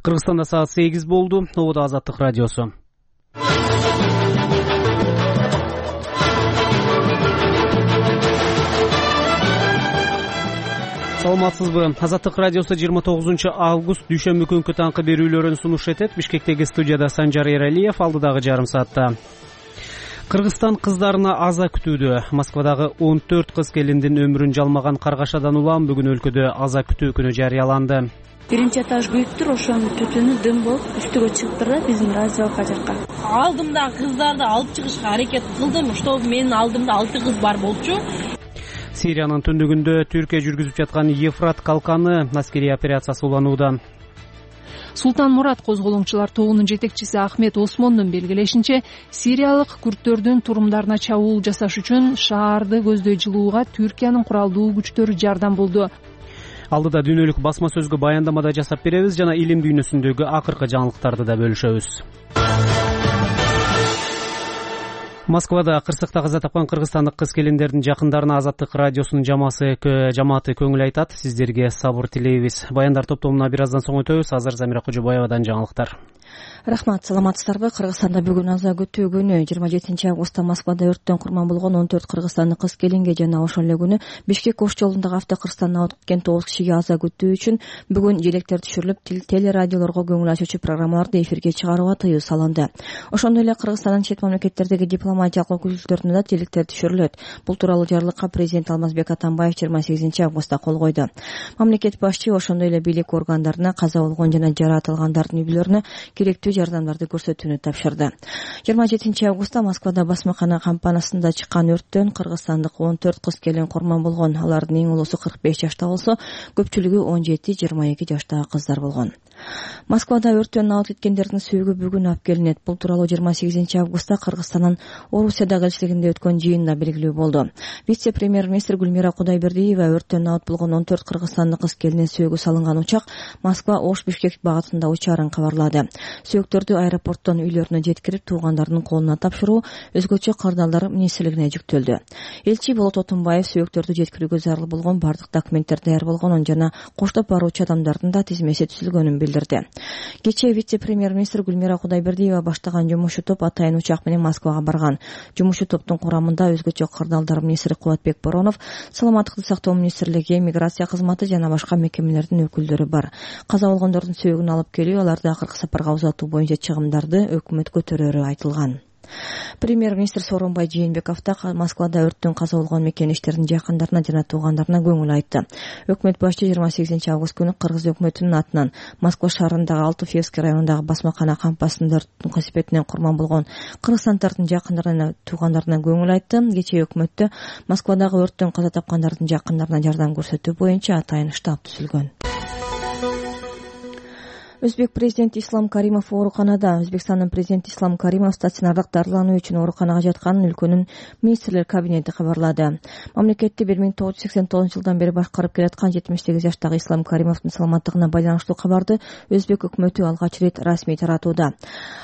Кыргызстанда саат 8 болду. Ободо Азаттык радиосу. Саламатсызбы? Азаттык радиосу 29 август дүйшөмбү күнкү таңкы берүүлөрүн сунуш этет. Бишкектеги студияда Санжар Эралиев, алдыдагы жарым саатта. Кыргызстан кыздарына аза күтүүдө. Москвадагы 14 кыз келиндин өмүрүн жалмаган каргашадан улам бүгүн өлкөдө аза күтүү күнү жарыяланды. Биринчи этаж күйүптүр, ошонун түтүнү дым болуп үстүгө чыктыр да биздин раздевалка жакка. Алдымдагы кыздарды алып чыгышка аракет кылдым, чтобы менин алдымда 6 кыз бар болчу. Сириянын түндүгүндө Түркия жүргүзүп жаткан Ефрат калканы аскерий операциясы уланууда. Султан Мурат козголоңчулар тобунун жетекчиси Ахмет Осмондун белгилешинче, сириялык күрттөрдүн турумдарына чабуул жасаш үчүн шаарды көздөй жылууга Түркиянын куралдуу күчтөрү жардам болду. Алдыда дүйнөлүк басма сөзгө баяндамада жасап беребиз жана илим дүйнөсүндөгү акыркы жаңылыктарды да бөлүшөбүз. Москвада кырсыкта каза тапкан кыргызстандык кыз келиндердин жакындарына Азаттык радиосунун жамааты көңүл айтат. Сиздерге сабыр тилейбиз. Баяндар топтомуна бир аздан соң өтөбүз. Азыр Замира Кожобаевадан жаңылыктар. Рахмат, саламатсыздарбы? Кыргызстанда бүгүн аза күтүү күнү. 27 августта Москвада өрттөн курман болгон 14 кыргызстандык кыз келинге жана ошол эле күнү Бишкек Ош жолундагы автокырсыктан абыт кеткен 9 кишиге аза күтүү үчүн бүгүн желектер түшүрүлүп, телерадиолорго көңүл ачуучу программаларды эфирге чыгарууга тыюу салынды. Ошондой эле Кыргызстандын чет мамлекеттердеги дипломатиялык өкүлдүктөрүнө да желектер түшүрүлөт. Бул тууралуу жарлыкка президент Алмазбек Атамбаев 28 августта кол койду. Мамлекет башчы ошондой эле бийлик органдарына каза болгон жана жаратылгандардын үй бүлөлөрүнө керектүү жардамдарды көрсөтүүнү тапшырды. 27 августта Москвада басмакана компаниясында чыккан өрттөн кыргызстандык 14 кыз келин курман болгон. Алардын эң улуусу 45 жашта болсо, көпчүлүгү 17-22 жаштагы кыздар болгон. Москвада өрттөн абыт кеткендердин сөөгү бүгүн алып келинет. Бул тууралуу 28 августта Кыргызстандын Орусиядагы элчилигинде өткөн жыйында белгилүү болду. Вице-премьер-министр Гүлмира Кудайбердиева өрттөн абыт болгон 14 кыргызстандык кыз келиндин сөөгү салынган учак Москва-Ош-Бишкек багытында учаарын кабарлады. Сөөгүттөрдү аэропорттон үйлөрүнө жеткирип, туугандарынын колуна тапшыруу өзгөчө кырдаалдар министрлигине жүктөлдү. Элчи Болот Отунбаев сөөгүттөрдү жеткирүүгө зарыл болгон бардык документтер даяр болгонун жана коштоп баруучу адамдардын да тизмеси түзүлгөнүн билдирди. Кечээ вице-премьер-министр Гүлмира Кудайбердиева баштаган жумушчу топ атайын учак менен Москвага барган. Жумушчу топтун курамында өзгөчө кырдаалдар министри Кубатбек Боронов, саламаттыкты сактоо министрлиги, миграция кызматы жана башка мекемелердин өкүлдөрү бар. Каза болгондордун сөөгүн алып келүү, аларды акыркы сапарга узатуу боюнча чыгымдарды өкмөт көтөрөрү айтылган. Премьер-министр Сооронбай Жээнбеков да Москвада өрттөн каза болгон мекенештердин жакындарына жана туугандарына көңүл айтты. Өкмөт башчы 28 август күнү Кыргыз өкмөтүнүн атынан Москва шаарындагы Алтуфьевский районундагы басмакана кампасында өрттүн кесепетинен курман болгон кыргызстандардын жакындарына, туугандарына көңүл айтты. Кечээ өкмөттө Москвадагы өрттөн каза тапкандардын жакындарына жардам көрсөтүү боюнча атайын штаб түзүлгөн. Өзбек президенти Ислам Каримов ооруканада. Өзбекстандын президенти Ислам Каримов стационардык дарылануу үчүн ооруканага жатканын өлкөнүн министрлер кабинети кабарлады. Мамлекетти 1989 жылдан бери башкарып келаткан 78 жаштагы Ислам Каримовдун саламаттыгына байланыштуу кабарды Өзбек өкмөтү алгач рет расмий таратууда.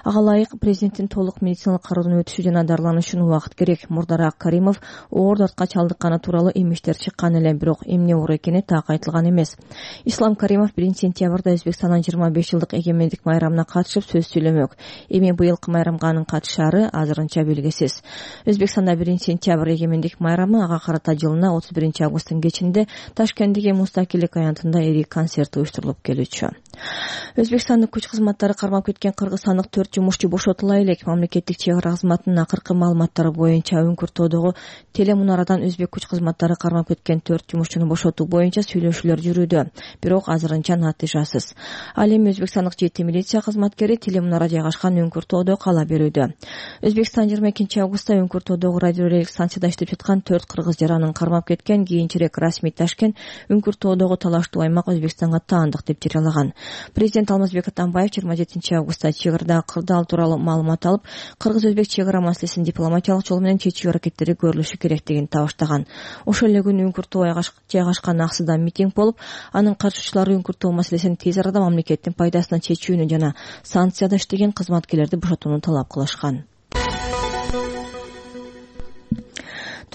Ага ылайык президенттин толук медициналык кароодон өтүшү жана дарылануу үчүн убакыт керек. Мурдараак Каримов оор дартка чалдыкканы тууралуу эмиштер чыккан эле, бирок эмне оор экени так айтылган эмес. Ислам Каримов 1-сентябрда Өзбекстандын 25 жылдык эгемендик майрамына катышып сөз сүйлөмөк. Эми быйылкы майрамга анын катышаары азырынча белгисиз. Өзбекстанда 1-сентябрь эгемендик майрамы, ага карата жылына 31 августтун кечинде Ташкенттеги Мустакилдик аянтында ири концерт уюштурулуп келүүчү. Өзбекстандын күч кызматтары кармап кеткен кыргызстандык 4 жумушчу бошотула элек. Мамлекеттик чек ара кызматынын акыркы маалыматтары боюнча Үңкүртөдөгү телемунарадан өзбек күч кызматтары кармап кеткен 4 жумушчуну бошотуу боюнча сүйлөшүүлөр жүрүүдө, бирок азырынча натыйжасыз. Ал эми Өзбекстандык жети милиция кызматкери телемунара жайгашкан Үңкүртөдө кала берүүдө. Өзбекстан 22 августта Үңкүртөдөгү радиорелик станцияда иштеп жаткан 4 кыргыз жаранын кармап кеткен. Кийинчерээк расмий Ташкент Үңкүртөдөгү талаштуу аймак Өзбекстанга таандык деп жарыялаган. Президент Алмазбек Атамбаев 27 августта чек арада кырдаал тууралуу маалымат алып, кыргыз-өзбек чек ара маселесин дипломатиялык жол менен чечүү аракеттери көрүлүшү керектигин табыштаган. Ошол эле күнү Үңкүртөдө жайгашкан Аксыда митинг болуп, анын катышуучулары Үңкүртө маселесин тез арада мамлекеттин пайдасына чечүүнү жана санкцияда иштеген кызматкерлерди бошотууну талап кылышкан.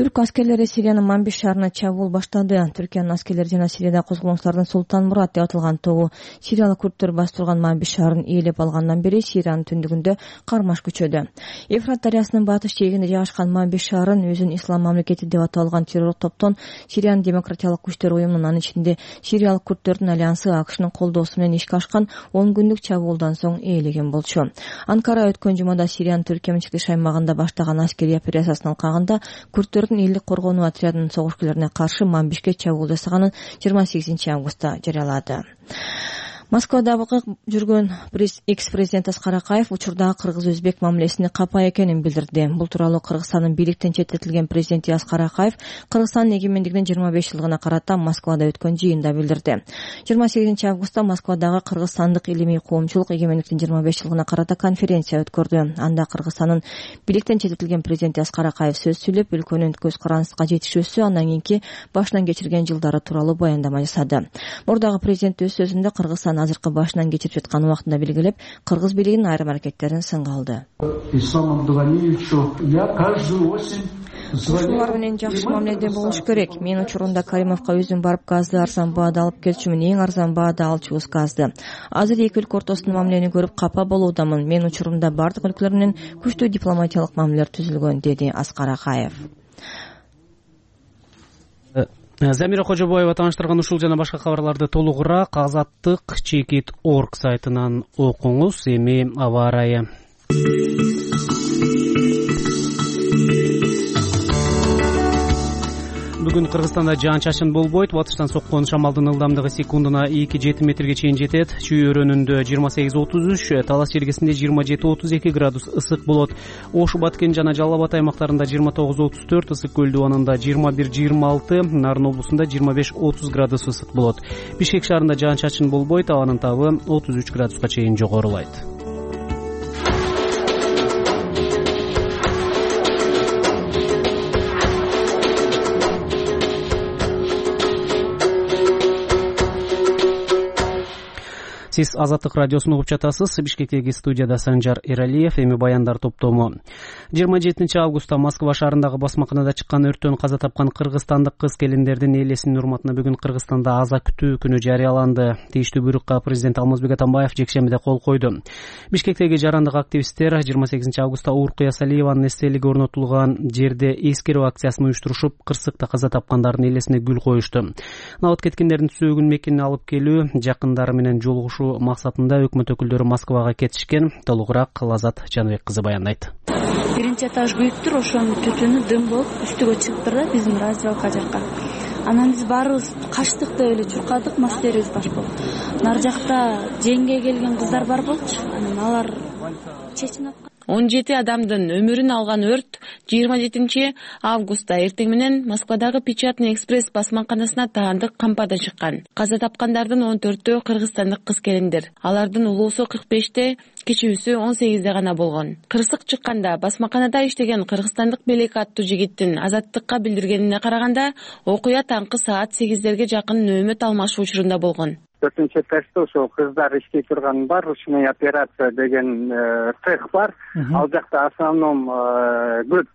Түрк аскерлери Сириянын Манбиш шаарына чабуул баштады. Түркиянын аскерлери жана Сирияда козголгучулардын Султан Мурат деп аталган тобу сириялык күрттөр бастырган Манбиш шаарын ээлеп алгандан бери Сириянын түндүгүндө кармаш күчөдү. Эфрат дарыясынын батыш жээгинде жайгашкан Манбиш шаарын өзүн ислам мамлекети деп аталган террор топтон Сириянын демократиялык күчтөр уюмунун, анын ичинде Сириялык күрттөрдүн альянсы АКШнын колдоосу менен ишке ашкан 10 күндүк чабуулдан соң ээлеген болчу. Анкара өткөн жумада Сириянын Түркия чыгыш аймагында баштаган аскерий операциясынын алкагында күрттөрдүн элдик коргонуу отрядынын согушкерлерине каршы Манбишке чабуул жасаганын 28 августта жарыялады. Москвада жүргөн экс-президент Аскар Акаев учурдагы кыргыз-өзбек мамилесине капа экенин билдирди. Бул тууралуу Кыргызстандын бийликтен четтетилген президенти Аскар Акаев Кыргызстандын эгемендигинин 25 жылдыгына карата Москвада өткөн жыйында билдирди. 28 августта Москвадагы Кыргызстандык илимий коомчулук эгемендиктин 25 жылдыгына карата конференция өткөрдү. Анда Кыргызстандын бийликтен четтетилген президенти Аскар Акаев сөз сүйлөп, өлкөнүн көз карандыска жетишүүсү, андан кийинки башынан кечирген жылдары тууралуу баяндама жасады. Мурдагы президент өз сөзүндө Кыргызстан азыркы башынан кечирип жаткан убактында белгилеп, кыргыз бийлигинин айрым аракеттерин сынга алды. Ушулар менен жакшы мамиледе болуш керек. Мен учурунда Каримовго өзүм барып газды арзан баада алып келчүмүн, эң арзан баада алчубуз газды. Азыр эки өлкө ортосунда мамилени көрүп капа болуудамын. Мен учурунда бардык өлкөлөр менен күчтүү дипломатиялык мамилелер түзүлгөн, деди Аскар Акаев. Замира Кожобоева тааныштырган ушул жана башка кабарларды толугураак azattik.org сайтынан окуңуз. Эми аба ырайы. Бүгүн Кыргызстанда жаан-чачын болбойт. Батыштан соккон шамалдын ылдамдыгы секундуна 2-7 метрге чейин жетет. Чүй өрөөнүндө 28-33, Талас желгесинде 27-32 градус ысык болот. Ош, Баткен жана Жалал Абад аймактарында 29-34, Ысык көл дубанында 21-26, Нарын облусунда 25-30 градус ысык болот. Бишкек шаарында жаан-чачын болбойт, абанын табы 33 градуска чейин жогорулайт. Сиз Азаттык радиосун угуп жатасыз. Бишкектеги студияда Санжар Эралиев. Эми баяндар топтому. 27 августта Москва шаарындагы басмаканада чыккан өрттөн каза тапкан кыргызстандык кыз-келиндердин элесинин урматына бүгүн Кыргызстанда аза күтүү күнү жарыяланды. Тийиштүү буйрукка президент Алмазбек Атамбаев жекшембиде кол койду. Бишкектеги жарандык активисттер 28 августта Уркуя Салиеванын эстелиги орнотулган жерде эскерүү акциясын уюштурушуп, кырсыкта каза тапкандардын элесине гүл коюшту. Набат кеткендердин сөөгүн мекенине алып келүү, жакындары менен жолугушуу максатында өкмөт өкүлдөрү Москвага кетишкен. Толугураак Лазат Жаныбек кызы баяндайт. Биринчи этаж күйүптүр, ошонун түтүнү дым болуп үстүгө чыктыр да биздин раздевалка жакка. Анан биз баарыбыз качтык деп эле чуркадык, мастерибиз баш болуп. Нар жакта жеңге келген кыздар бар болчу. Анан алар чечинип 17 адамдын өмүрүн алган өрт 27 августта эртең менен Москвадагы Печатный экспресс басмаканасына таандык кампада чыккан. Каза тапкандардын 14-төө кыргызстандык кыз-келиндер. Алардын улуусу 45-те, кичүүсү 18-де гана болгон. Кырсык чыкканда басмаканада иштеген кыргызстандык Белек аттуу жигиттин Азаттыкка билдиргенине караганда, окуя таңкы саат 8-дерге жакын нөөмөт алмашуу учурунда болгон. 4-нчы этажда ошо кыздар иштей турган бар, ручной операция деген цех бар. Ал жакта основном көп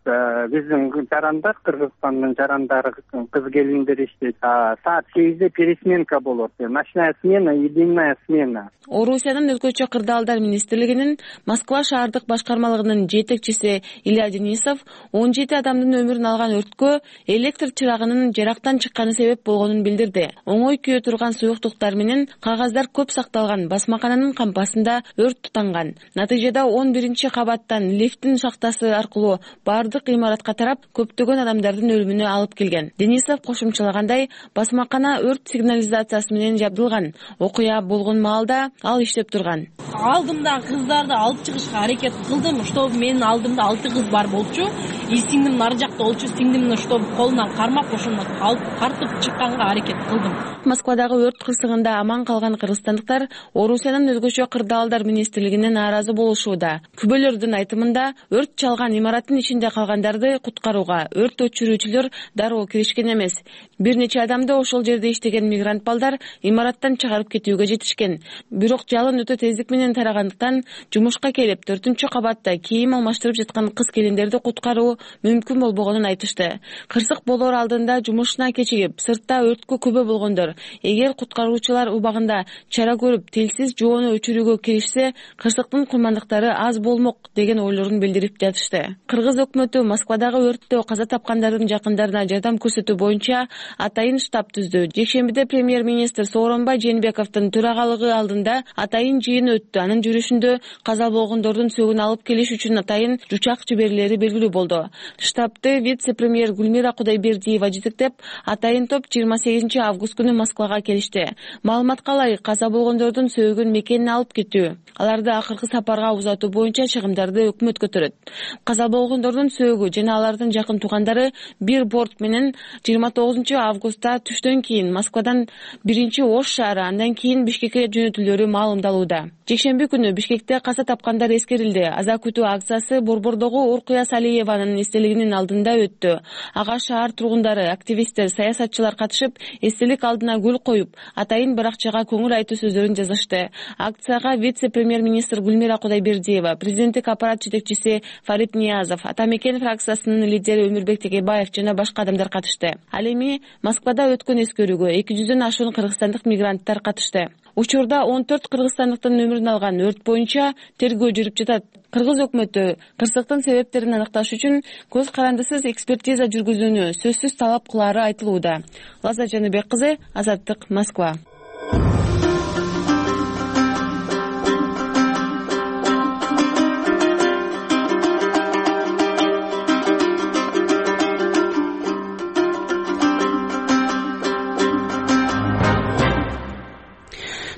биздин жарандар, Кыргызстандын жарандары, кыз-келиндер иштейт. Саат 8-де пересменка болот. Ночная смена и дневная смена. Орусиянын өлкөчө кырдаалдар министрлигинин Москва шаардык башкармалыгынын жетекчиси Илья Денисов 17 адамдын өмүрүн алган өрткө электр чырагынын жарактан чыкканы себеп болгонун билдирди. Оңой күйө турган суюктуктар менен кагаздар көп сакталган басмакананын кампасында өрт тутанган. Натыйжада 11-чи кабаттан лифттин шахтасы аркылуу бардык имаратка тарап, көптөгөн адамдардын өлүмүнө алып келген. Денисов кошумчалагандай, басмакана өрт сигнализациясы менен жабдылган. Окуя болгон маалда ал иштеп турган. Алдымда кыздарды алып чыгышка аракет кылдым, чтобы менин алдымда 6 кыз бар болчу. И сиңдим нары жакта болчу, сиңдимди чтобы колунан кармап ошону алып тартып чыкканга аракет кылдым. Москвадагы өрт кырсыгында аман калган кыргызстандыктар Орусиянын өлкөчө кырдаалдар министрлигине нааразы болушууда. Күбөлөрдүн айтымында, өрт чалган имараттын ичинде калгандарды куткарууга өрт өчүрүүчүлөр дароо киришкен эмес. Бир нече адамды ошол жерде иштеген мигрант балдар имараттан чыгарып кетүүгө жетишкен. Бирок жалын өтө тездик менен менен тарагандыктан жумушка келип 4-кабатта кийим алмаштырып жаткан кыз-келиндерди куткаруу мүмкүн болбогонун айтышты. Кырсык болоор алдында жумушуна кечигип, сыртта өрткө күбө болгондор эгер куткаруучулар убагында чара көрүп телсиз жоону өчүрүүгө киришсе, кырсыктын курмандыктары аз болмок деген ойлорун билдирип жатышты. Кыргыз өкмөтү Москвадагы өрттө каза тапкандардын жакындарына жардам көрсөтүү боюнча атайын штаб түздү. Жекшембиде премьер-министр Сооронбай Жээнбековдун төрагалыгы алдында атайын жыйын өттү. Анын жүрүшүндө каза болгондордун сөөгүн алып келиш үчүн атайын жучак жиберилери белгилүү болду. Штабты вице-премьер Гүлмира Кудайбердиева жетектеп, атайын топ 28 август күнү Москвага келишти. Маалыматка ылайык, каза болгондордун сөөгүн мекенине алып кетүү, аларды акыркы сапарга узатуу боюнча чыгымдарды өкмөт көтөрөт. Каза болгондордун сөөгү жана алардын жакын туугандары бир борт менен 29 августта түштөн кийин Москвадан биринчи Ош шаары, андан кийин Бишкекке жөнөтүлөрү маалымдалууда. Жекшемби күнү Бишкекте каза тапкандар эскерилди. Аза күтүү акциясы Борбордогу Уркуя Салиеванын эстелигинин алдында өттү. Ага шаар тургундары, активисттер, саясатчылар катышып, эстелик алдына гүл коюп, атайын баракчага көңүл айтуу сөздөрүн жазышты. Акцияга вице-премьер-министр Гүлмира Кудайбердиева, президенттик аппарат жетекчиси Фарид Ниязов, Ата Мекен фракциясынын лидери Өмүрбек Текебаев жана башка адамдар катышты. Ал эми Москвада өткөн эскерүүгө 200дөн ашуун кыргызстандык мигранттар катышты. Учурда 14 кыргызстандыктын өмүрүн алган өрт боюнча тергөө жүрүп жатат. Кыргыз өкмөтү кырсыктын себептерин аныкташ үчүн көз карандысыз экспертиза жүргүзүүнү сөзсүз талап кылаары айтылууда. Лаза Жаныбек кызы, Азаттык, Москва.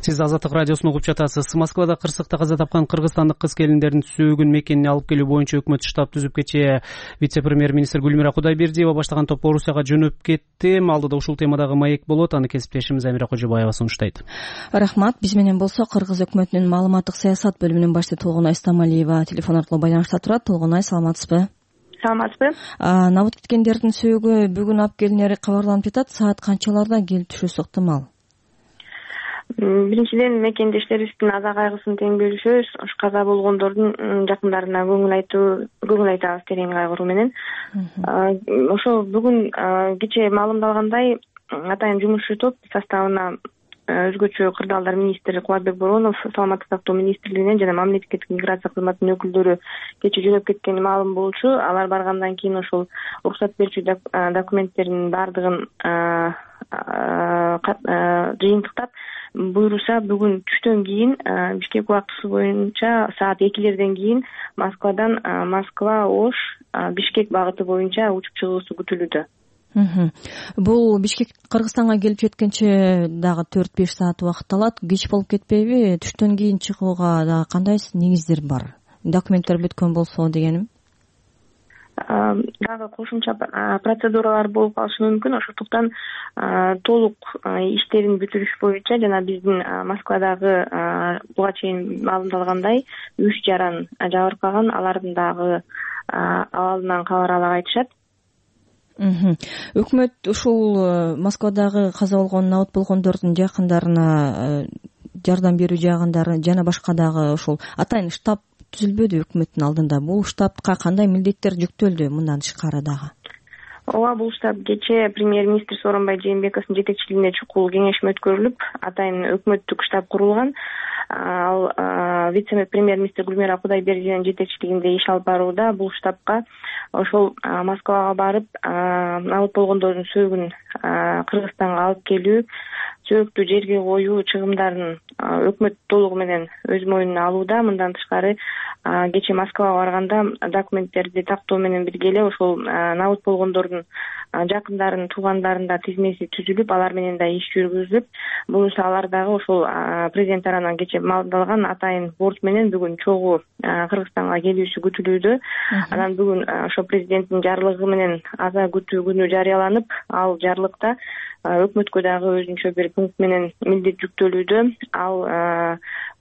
Сиз Азаттык радиосун угуп жатасыз. Москвада кырсыкта каза тапкан кыргызстандык кыз-келиндердин сөөгүн мекенине алып келүү боюнча өкмөт штаб түзүп кечээ вице-премьер-министр Гүлмира Кудайбердиева баштаган топ Орусияга жөнөп кетти. Алдыда ушул темадагы маек болот. Аны кесиптешим Замира Кожобаева сунуштайт. Рахмат. Биз менен болсо Кыргыз өкмөтүнүн маалыматтык саясат бөлүмүнүн башчысы Толгонай Стамалиева телефон аркылуу байланышта турат. Толгонай, саламатсызбы? Саламатсызбы. Набыт кеткендердин сөөгү бүгүн алып келинери кабарланып жатат. Саат канчаларда келип түшүүсү ыктымал? Биринчиден, мекендештерибиздин аза кайгысын тең бөлүшөбүз. Каза болгондордун жакындарына көңүл айтабыз терең кайгыруу менен. Ошо бүгүн кечээ маалымдалгандай, атайын жумушчу топ составына өзгөчө кырдаалдар министри Кубатбек Боронов, саламаттык сактоо министрлигинен жана мамлекеттик миграция кызматынын өкүлдөрү кечээ жөнөп кеткени маалым болчу. Алар баргандан кийин ошол уруксат берүүчү документтердин баардыгын жыйынтыктап, буйруса бүгүн түштөн кийин Бишкек убактысы боюнча саат 2-лерден кийин Москвадан Москва-Ош Бишкек багыты боюнча учуп чыгуусу күтүлүүдө. Бул Бишкек Кыргызстанга келип жеткенче дагы 4-5 саат убакыт алат. Кеч болуп кетпейби? Түштөн кийин чыгууга дагы кандай негиздер бар? Документтер бүткөн болсо дегеним. Дагы кошумча процедуралар болуп калышы мүмкүн. Ошондуктан толук иштерин бүтүрүш боюнча жана биздин Москвадагы буга чейин маалымдалгандай 3 жаран жабыркаган, алардын дагы абалынан кабар ала айтышат. Өкмөт ушул Москвадагы каза болгон, набыт болгондордун жакындарына жардам берүү жагындары жана башка дагы ушул атайын штаб түзүлбөдү өкмөттүн алдында. Бул штабка кандай милдеттер жүктөлдү мындан тышкары дагы? Ооба, бул штаб кечээ премьер-министр Сооронбай Жээнбековдун жетекчилигинде чукул кеңешме өткөрүлүп, атайын өкмөттүк штаб курулган. Ал вице-премьер-министр Гүлмира Кудайбердиеванын жетекчилигинде иш алып барууда. Бул штабка ошол Москвага барып, набыт болгондордун сөөгүн Кыргызстанга алып келүү, сөөктү жерге коюу чыгымдарын өкмөт толугу менен өз мойнуна алууда. Мындан тышкары кечээ Москвага барганда документтерди тактоо менен бирге эле ошол набыт болгондордун жакындарынын, туугандарынын тизмеси түзүлүп, алар менен да иш жүргүзүлүп, буюрса алар дагы ошол президент тарабынан кечээ маалымдалган атайын борт менен бүгүн чогуу Кыргызстанга келүүсү күтүлүүдө. Анан бүгүн ошо президенттин жарлыгы менен аза күтүү күнү жарыяланып, ал жарлыкта өкмөткө дагы өзүнчө бир пункт менен милдет жүктөлүүдө. Ал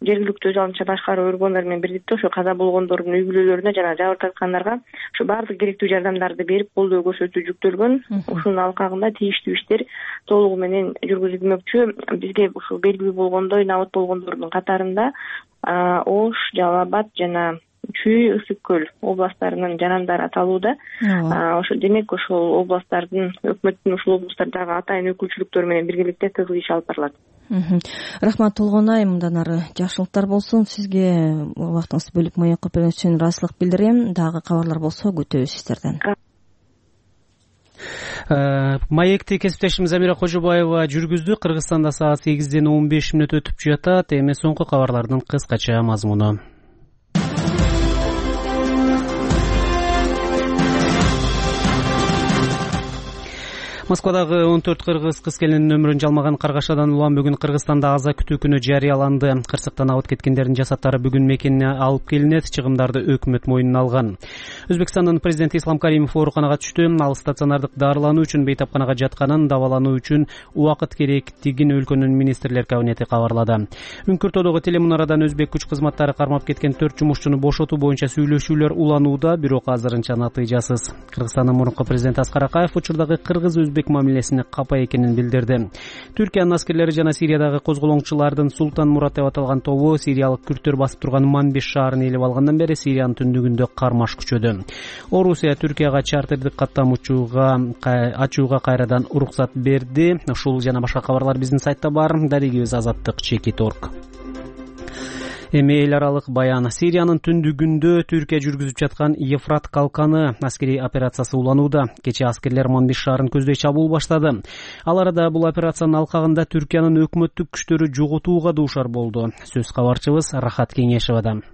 жергиликтүү өз алдынча башкаруу органдары менен бирдикте ошо каза болгондордун үй бүлөлөрүнө жана жабыр тарткандарга ушу баардык керектүү жардамдарды берип колдоо көрсөтүү жүктөлгөн. Ушунун алкагында тийиштүү иштер толугу менен жүргүзүлмөкчү. Бизге ушул белгилүү болгондой набыт болгондордун катарында Ош, Жалал Абад жана Чүй, Ысык көл областтарынын жарандары аталууда. Ошо демек ошол областтардын өкмөттүн ушул областтардагы атайын өкүлчүлүктөрү менен биргеликте тыгыз иш алып барылат. Рахмат Толгонай, мындан ары жакшылыктар болсун. Сизге убактыңызды бөлүп маек коюп бергениңиз үчүн ыраазычылык билдирем. Дагы кабарлар болсо күтөбүз сиздерден. Маекти кесиптешим Замира Кожобаева жүргүздү. Кыргызстанда саат 8:15 өтүп жатат. Эми соңку кабарлардын кыскача мазмуну. Москвадагы 14 кыргыз кыз келинин өмүрүн жалмаган каргашадан улам бүгүн Кыргызстанда аза күтүү күнү жарыяланды. Кырсыктан абыт кеткендердин жасаттары бүгүн мекенине алып келинет. Чыгымдарды өкмөт мойнуна алган. Өзбекстандын президенти Ислам Каримов ооруканага түштү. Ал стационардык дарылануу үчүн бейтапканага жатканын, дабалануу үчүн убакыт керектигин өлкөнүн министрлер кабинети кабарлады. Үңкүртөдөгү телемунарадан өзбек күч кызматтары кармап кеткен 4 жумушчуну бошотуу боюнча сүйлөшүүлөр уланууда, бирок азырынча натыйжасыз. Кыргызстандын мурунку президенти Аскар Акаев учурдагы кыргыз-өзбек мамилесине капа экенин билдирди. Түркиянын аскерлери жана Сириядагы козголоңчулардын Султан Мурат деп аталган тобу сириялык күрттөр басып турган Манбиш шаарын ээлеп алгандан бери Сириянын түндүгүндө кармаш күчөдү. Орусия Түркияга чартердик каттам ачууга кайрадан уруксат берди. Ушул жана башка кабарлар биздин сайтта бар. Дарегибиз azattik.org. Эми эл аралык баян. Сириянын түндүгүндө Түркия жүргүзүп жаткан Ефрат калканы аскерий операциясы уланууда. Кечээ аскерлер Манбиш шаарын көздөй чабуул баштады. Ал арада бул операциянын алкагында Түркиянын өкмөттүк күчтөрү жоготууга дуушар болду. Сөз кабарчыбыз Рахат Кеңешевадан.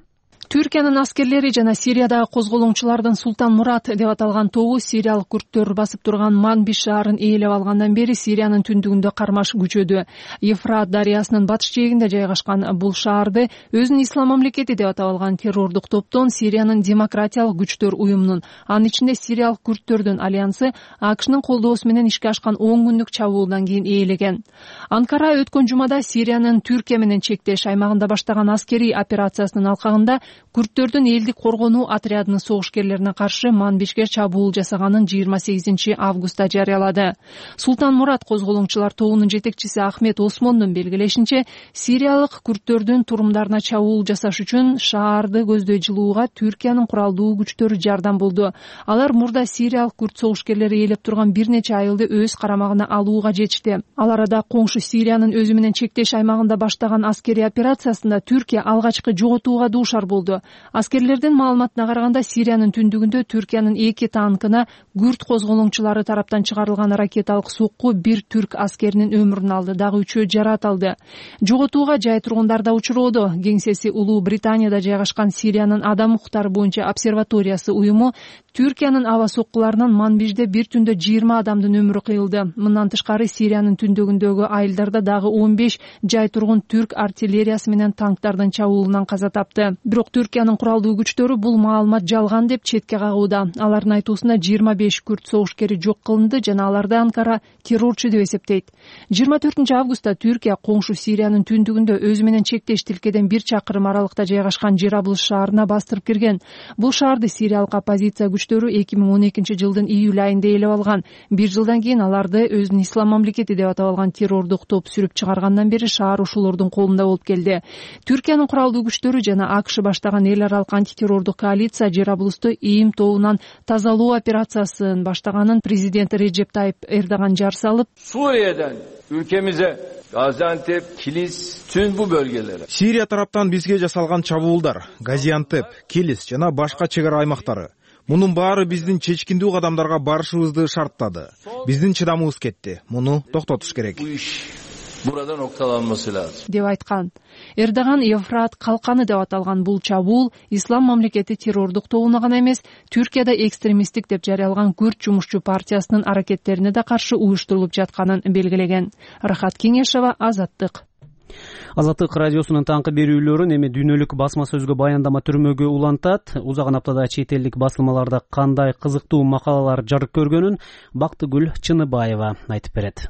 Түркиянын аскерлери жана Сириядагы козголоңчулардын Султан Мурат деп аталган тобу сириялык күрттөр басып турган Манбиш шаарын ээлеп алгандан бери Сириянын түндүгүндө кармаш күчөдү. Ефрат дарыясынын батыш жээгинде жайгашкан бул шаарды өзүн Ислам мамлекети деп атап алган террордук топтон Сириянын демократиялык күчтөр уюмунун, анын ичинде сириялык күрттөрдүн альянсы АКШнын колдоосу менен ишке ашкан 10 күндүк чабуулдан кийин ээлеген. Анкара өткөн жумада Сириянын Түркия менен чектеш аймагында баштаган аскерий операциясынын алкагында күрттөрдүн элдик коргонуу отрядынын согушкерлерине каршы Манбишке чабуул жасаганын 28 августта жарыялады. Султан Мурат козголоңчулар тобунун жетекчиси Ахмет Осмондун белгилешинче, сириялык күрттөрдүн турумдарына чабуул жасаш үчүн шаарды көздөй жылууга Түркиянын куралдуу күчтөрү жардам болду. Алар мурда сириялык күрт согушкерлери ээлеп турган бир нече айылды өз карамагына алууга жетишти. Ал арада коңшу Сириянын өзү менен чектеш аймагында баштаган аскерий операциясында Түркия алгачкы жоготууга дуушар болду. Аскерлердин маалыматына караганда Сириянын түндүгүндө Түркиянын 2 танкына күрт козголоңчулары тараптан чыгарылган ракеталык сокку бир түрк аскеринин өмүрүн алды, дагы 3-өө жарат алды. Жоготууга жай тургундар да учуроодо. Кеңсеси Улуу Британияда жайгашкан Сириянын адам укуктары боюнча обсерваториясы уюму Түркиянын аба соккуларынан Манбишде бир түндө 20 адамдын өмүрү кыйылды. Мындан тышкары Сириянын түндүгүндөгү айылдарда дагы 15 жай тургун түрк артиллериясы менен танктардын чабуулунан каза тапты. Бирок Түркиянын куралдуу күчтөрү бул маалымат жалган деп четке кагууда. Алардын айтуусунда 25 күрт согушкери жок кылынды жана аларды Анкара террорчу деп эсептейт. 24 августта Түркия коңшу Сириянын түндүгүндө өзү менен чектеш тилкеден 1 чакырым аралыкта жайгашкан Жараблыс шаарына бастырып кирген. Бул шаарды сириялык оппозиция күчтөрү 2012 жылдын июль айында ээлеп алган. Бир жылдан кийин аларды өзүн Ислам мамлекети деп атап алган террордук топ сүрүп чыгаргандан бери шаар ошолордун колунда болуп келди. Түркиянын куралдуу күчтөрү жана АКШ баштаган эл аралык антитеррордук коалиция Жараблысту ИИМ тобунан тазалоо операциясын баштаганын президент Реджеп Тайип Эрдоган жар салып, Suriye'den ülkemize Gaziantep, Kilis, tüm bu bölgelere. Сирия тараптан бизге жасалган чабуулдар, Газиантеп, Килис жана башка чек ара аймактары. Мунун баары биздин чечкиндүү кадамдарга барышыбызды шарттады. Биздин чыдамыбыз кетти. Муну токтотуш керек. Burada noktalanması lazım. деп айткан. Эрдоган Ефрат калканы деп аталган бул чабуул Ислам мамлекети террордук тобуна гана эмес, Түркияда экстремисттик деп жарыялган Күрт жумушчу партиясынын аракеттерине да каршы уюштурулуп жатканын белгилеген. Рахат Кеңешева, Азаттык. Азаттык радиосунун таңкы берүүлөрүн эми дүйнөлүк басма сөзгө баяндама түрмөгү улантат. Узаган аптада чет элдик басылмаларда кандай кызыктуу макалалар жарык көргөнүн Бактыгүл Чыныбаева айтып берет.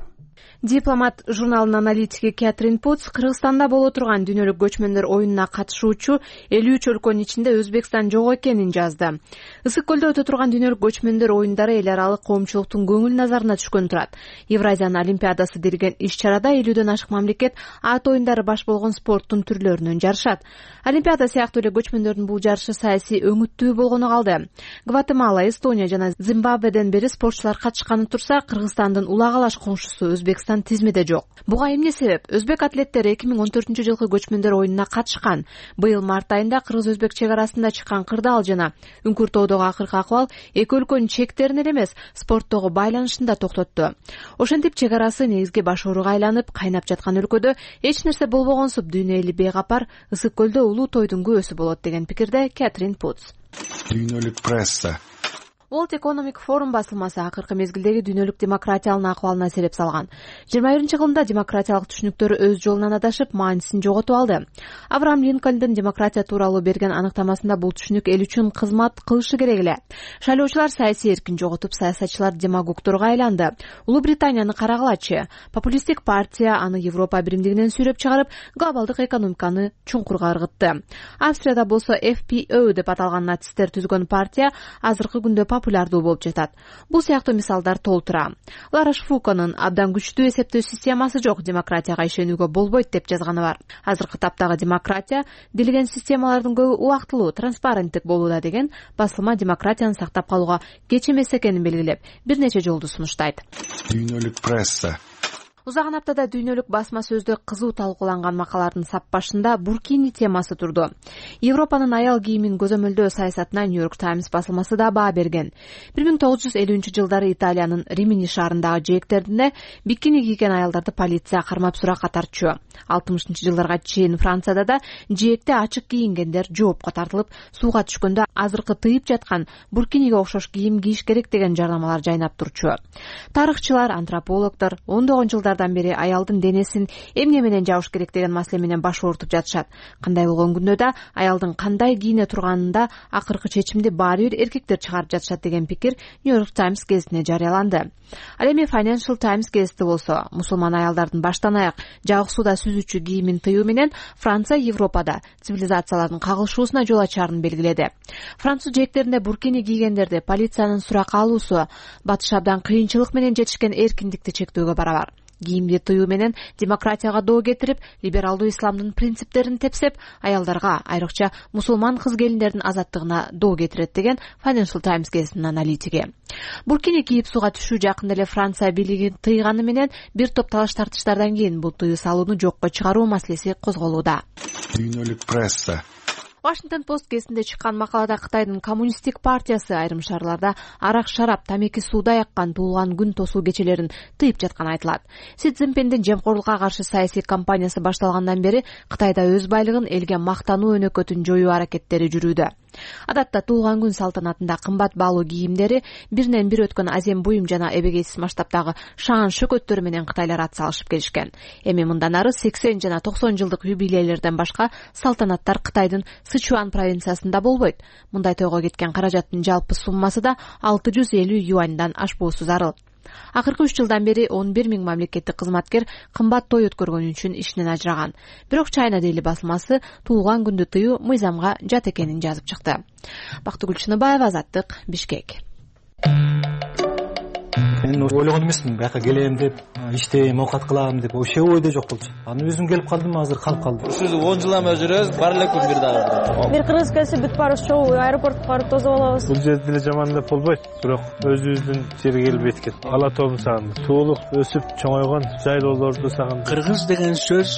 Дипломат журналынын аналитиги Кэтрин Путс Кыргызстанда боло турган дүйнөлүк көчмөндөр оюнуна катышуучу 53 өлкөнүн ичинде Өзбекстан жок экенин жазды. Ысык көлдө өтө турган дүйнөлүк көчмөндөр оюндары эл аралык коомчулуктун көңүл назарына түшкөн турат. Евразиянын олимпиадасы делген иш-чарада 50дөн ашык мамлекет ат оюндары баш болгон спорттун түрлөрүнөн жарышат. Олимпиада сыяктуу эле көчмөндөрдүн бул жарышы саясий өңүттүү болгону калды. Гватемала, Эстония жана Зимбабведен бери спортчулар катышканы турса, Кыргызстандын улагалаш коңшусу Өзбекстан тизмеде жок. Буга эмне себеп? Өзбек атлеттери 2014-жылкы көчмөндөр оюнуна катышкан. Быйыл март айында кыргыз-өзбек чек арасында чыккан кырдаал жана Үңкүр-тоодогу акыркы акыбал эки өлкөнүн чектерин эле эмес, спорттогу байланышын да токтотту. Ошентип чек арасы негизги баш ооруга айланып, кайнап жаткан өлкөдө эч нерсе болбогонсуп дүйнө эли бейкапар, ысык көлдө улуу тойдун күбөсү болот деген пикирде Кэтрин Путс. Дүйнөлүк пресса World Economic Forum басылмасы акыркы мезгилдеги дүйнөлүк демократиянын акыбалына сереп салган. 21-жылында демократиялык түшүнүктөр өз жолунан адашып, маанисин жоготуп алды. Авраам Линкольндун демократия тууралуу берген аныктамасында бул түшүнүк эл үчүн кызмат кылышы керек эле. Шайлоочулар саясий эркин жоготуп, саясатчылар демагогторго айланды. Улуу Британияны карагылачы. Популисттик партия аны Европа биримдигинен сүйрөп чыгарып, глобалдык экономиканы чуңкурга ыргытты. Австрияда болсо FPÖ деп аталган нацисттер түзгөн партия азыркы күндө популярдуу болуп жатат. Бул сыяктуу мисалдар толтура. Лараш Фуконун абдан күчтүү эсептөө системасы жок, демократияга ишенүүгө болбойт деп жазганы бар. Азыркы таптагы демократия делген системалардын көбү убактылуу, транспаrenттик болууда деген басылма демократияны сактап калууга кеч эмес экенин белгилеп, бир нече жолду сунуштайт. Дүйнөлүк пресса Узаган аптада дүйнөлүк басма сөздө кызуу талкууланган макалалардын сап башында буркини темасы турду. Европанын аял кийимин көзөмөлдөө саясатына New York Times басылмасы да баа берген. 1950-жылдары Италиянын Римини шаарындагы жээктеринде бикини кийген аялдарды полиция кармап суракка тартчу. 60-жылдарга чейин Францияда да жээкте ачык кийингендер жоопко тартылып, сууга түшкөндө азыркы тыйып жаткан буркиниге окшош кийим кийиш керек деген жарнамалар жайнап турчу. Тарыхчылар, антропологдор ондогон жылдардан бери аялдын денесин эмне менен жабыш керек деген маселе менен баш оорутуп жатышат. Кандай болгон күндө да аялдын кандай кийине турганында акыркы чечимди баары бир эркектер чыгарып жатышат деген пикир New York Times гезитине жарыяланды. Ал эми Financial Times гезити болсо, мусулман аялдардын баштан аяк жабык сууда сүзүүчү кийимин тыюу менен Франция Европада цивилизациялардын кагылышуусуна жол ачаарын белгиледи. Француз жээктеринде буркини кийгендерди полициянын суракка алуусу батыш абдан кыйынчылык менен жетишкен эркиндикти чектөөгө барабар. Кийимди тыюу менен демократияга доо кетирип, либералдуу исламдын принциптерин тепсеп, аялдарга, айрыкча мусулман кыз-келиндердин азаттыгына доо кетирет деген Financial Times гезитинин аналитиги. Буркини кийип сууга түшүү жакында эле Франция бийлиги тыйганы менен бир топ талаш-тартыштардан кийин бул тыюу салууну жокко чыгаруу маселеси козголууда. Дүйнөлүк пресса Washington Post гезитинде чыккан макалада Кытайдын коммунисттик партиясы айрым шаарларда арак, шарап, тамеки сууда яккан туулган күн тосуу кечелерин тыйып жатканы айтылат. Си Цзиньпиндин жемкорлукка каршы саясий кампаниясы башталгандан бери Кытайда өз байлыгын элге мактануу өнөкөтүн жоюу аракеттери жүрүүдө. Адатта туулган күн салтанатында кымбат баалуу кийимдери, биринен бир өткөн азем буюм жана эбегейсиз масштабтагы шаан шөкөттөрү менен кытайлар ат салышып келишкен. Эми мындан ары 80 жана 90 жылдык юбилейлерден башка салтанаттар Кытайдын Сычуан провинциясында болбойт. Мындай тойго кеткен каражаттын жалпы суммасы да 650 юаньдан ашпоосу зарыл. Акыркы 3 жылдан бери 11 000 мамлекеттик кызматкер кымбат той өткөргөнү үчүн иштен ажыраган. Бирок China Daily басылмасы туулган күндү тыюу мыйзамга жат экенин жазып чыкты. Бактыгүл Чыныбаева, Азаттык, Бишкек. Мен ойлогон эмесмин, бияка келем деп, иштейм, оокат кылам деп, ошо ойдо жок болчу. Аны өзүм келип калдым, азыр калып калдым. Ушул 10 жылдан бери жүрөбүз, бар эле күн бир дагы. Бир кыргыз келсе бүт барыбыз чогуу аэропортко барып тосуп алабыз. Бул жерде деле жаман деп болбойт, бирок өзүбүздүн жерге келип эткет. Ала тообун сагындым. Туулук, өсүп чоңойгон жайлоолорду сагындым. Кыргыз деген сөз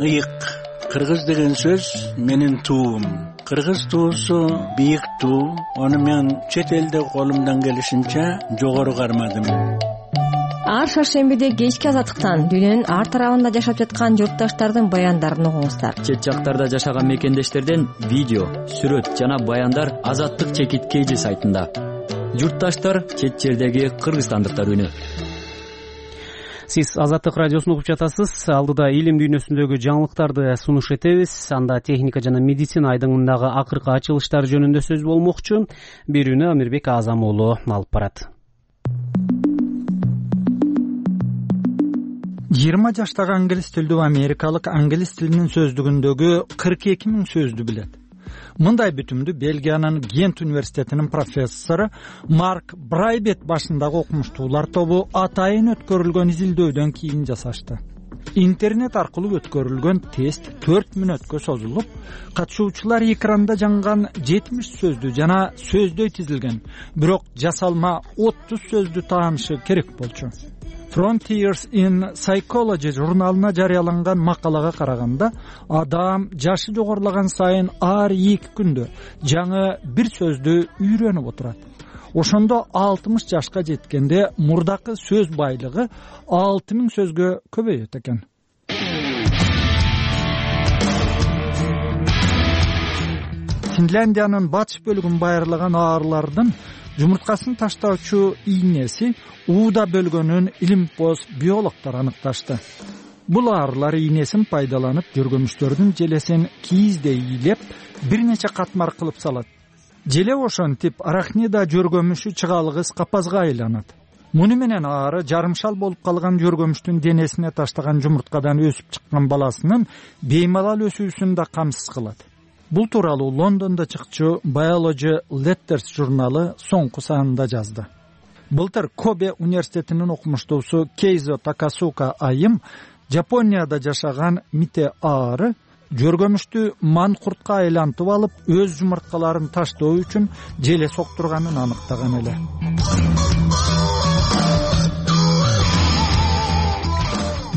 ыйык. Кыргыз деген сөз менин туум. Кыргыз туусу бийик туу. Аны мен чет элде колумдан келишинче жогору кармадым. Ар шаршембиде кечки Азаттыктан дүйнөнүн ар тарабында жашап жаткан журтташтардын баяндарын угуңуздар. Чет жактарда жашаган мекендештерден видео, сүрөт жана баяндар Азаттык чекит KG сайтында. Журтташтар чет жердеги кыргызстандыктар үнү. Сиз Азаттык радиосун угуп жатасыз. Алдыда илим дүйнөсүндөгү жаңылыктарды сунуш этебиз. Анда техника жана медицина айдыңындагы акыркы ачылыштар жөнүндө сөз болмокчу. Берүүнү Амирбек Азам уулу алып барат. 20 жаштагы англис тилдүү америкалык англис тилинин сөздүгүндөгү 42 000 сөздү билет. Мындай бүтүмдү Бельгиянын Гент университетинин профессору Марк Брайбет башындагы окумуштуулар тобу атайын өткөрүлгөн изилдөөдөн кийин жасашты. Интернет аркылуу өткөрүлгөн тест 4 мүнөткө созулуп, катышуучулар экранда жанган 70 сөздү жана сөздөй тизилген, бирок жасалма 30 сөздү таанышы керек болчу. Frontiers in Psychology журналына жарыяланган макалага караганда, адам жашы жогорулаган сайын ар 2 күндө жаңы бир сөздү үйрөнүп отурат. Ошондо 60 жашка жеткенде мурдакы сөз байлыгы 6000 сөзгө көбөйөт экен. Финляндиянын батыш бөлүгүн байырлаган аарылардын жумурткасын таштоочу ийнеси ууда бөлгөнүн илимпоз биологдор аныкташты. Бул аарылар ийнесин пайдаланып жөргөмүштөрдүн желесин кийиздей ийилеп, бир нече катмар кылып салат. Желе ошентип арахнида жөргөмүшү чыгалгыс капазга айланат. Муну менен аары жарымшал болуп калган жөргөмүштүн денесине таштаган жумурткадан өсүп чыккан баласынын беймалал өсүүсүн да камсыз кылат. Бул тууралуу Лондондо чыкчу Biology Letters журналы соңку санында жазды. Былтыр Кобе университетинин окумуштуусу Кейзо Такасука айым Жапонияда жашаган мите аары жөргөмүштү манкуртка айлантып алып, өз жумурткаларын таштоо үчүн желе соктурганын аныктаган эле.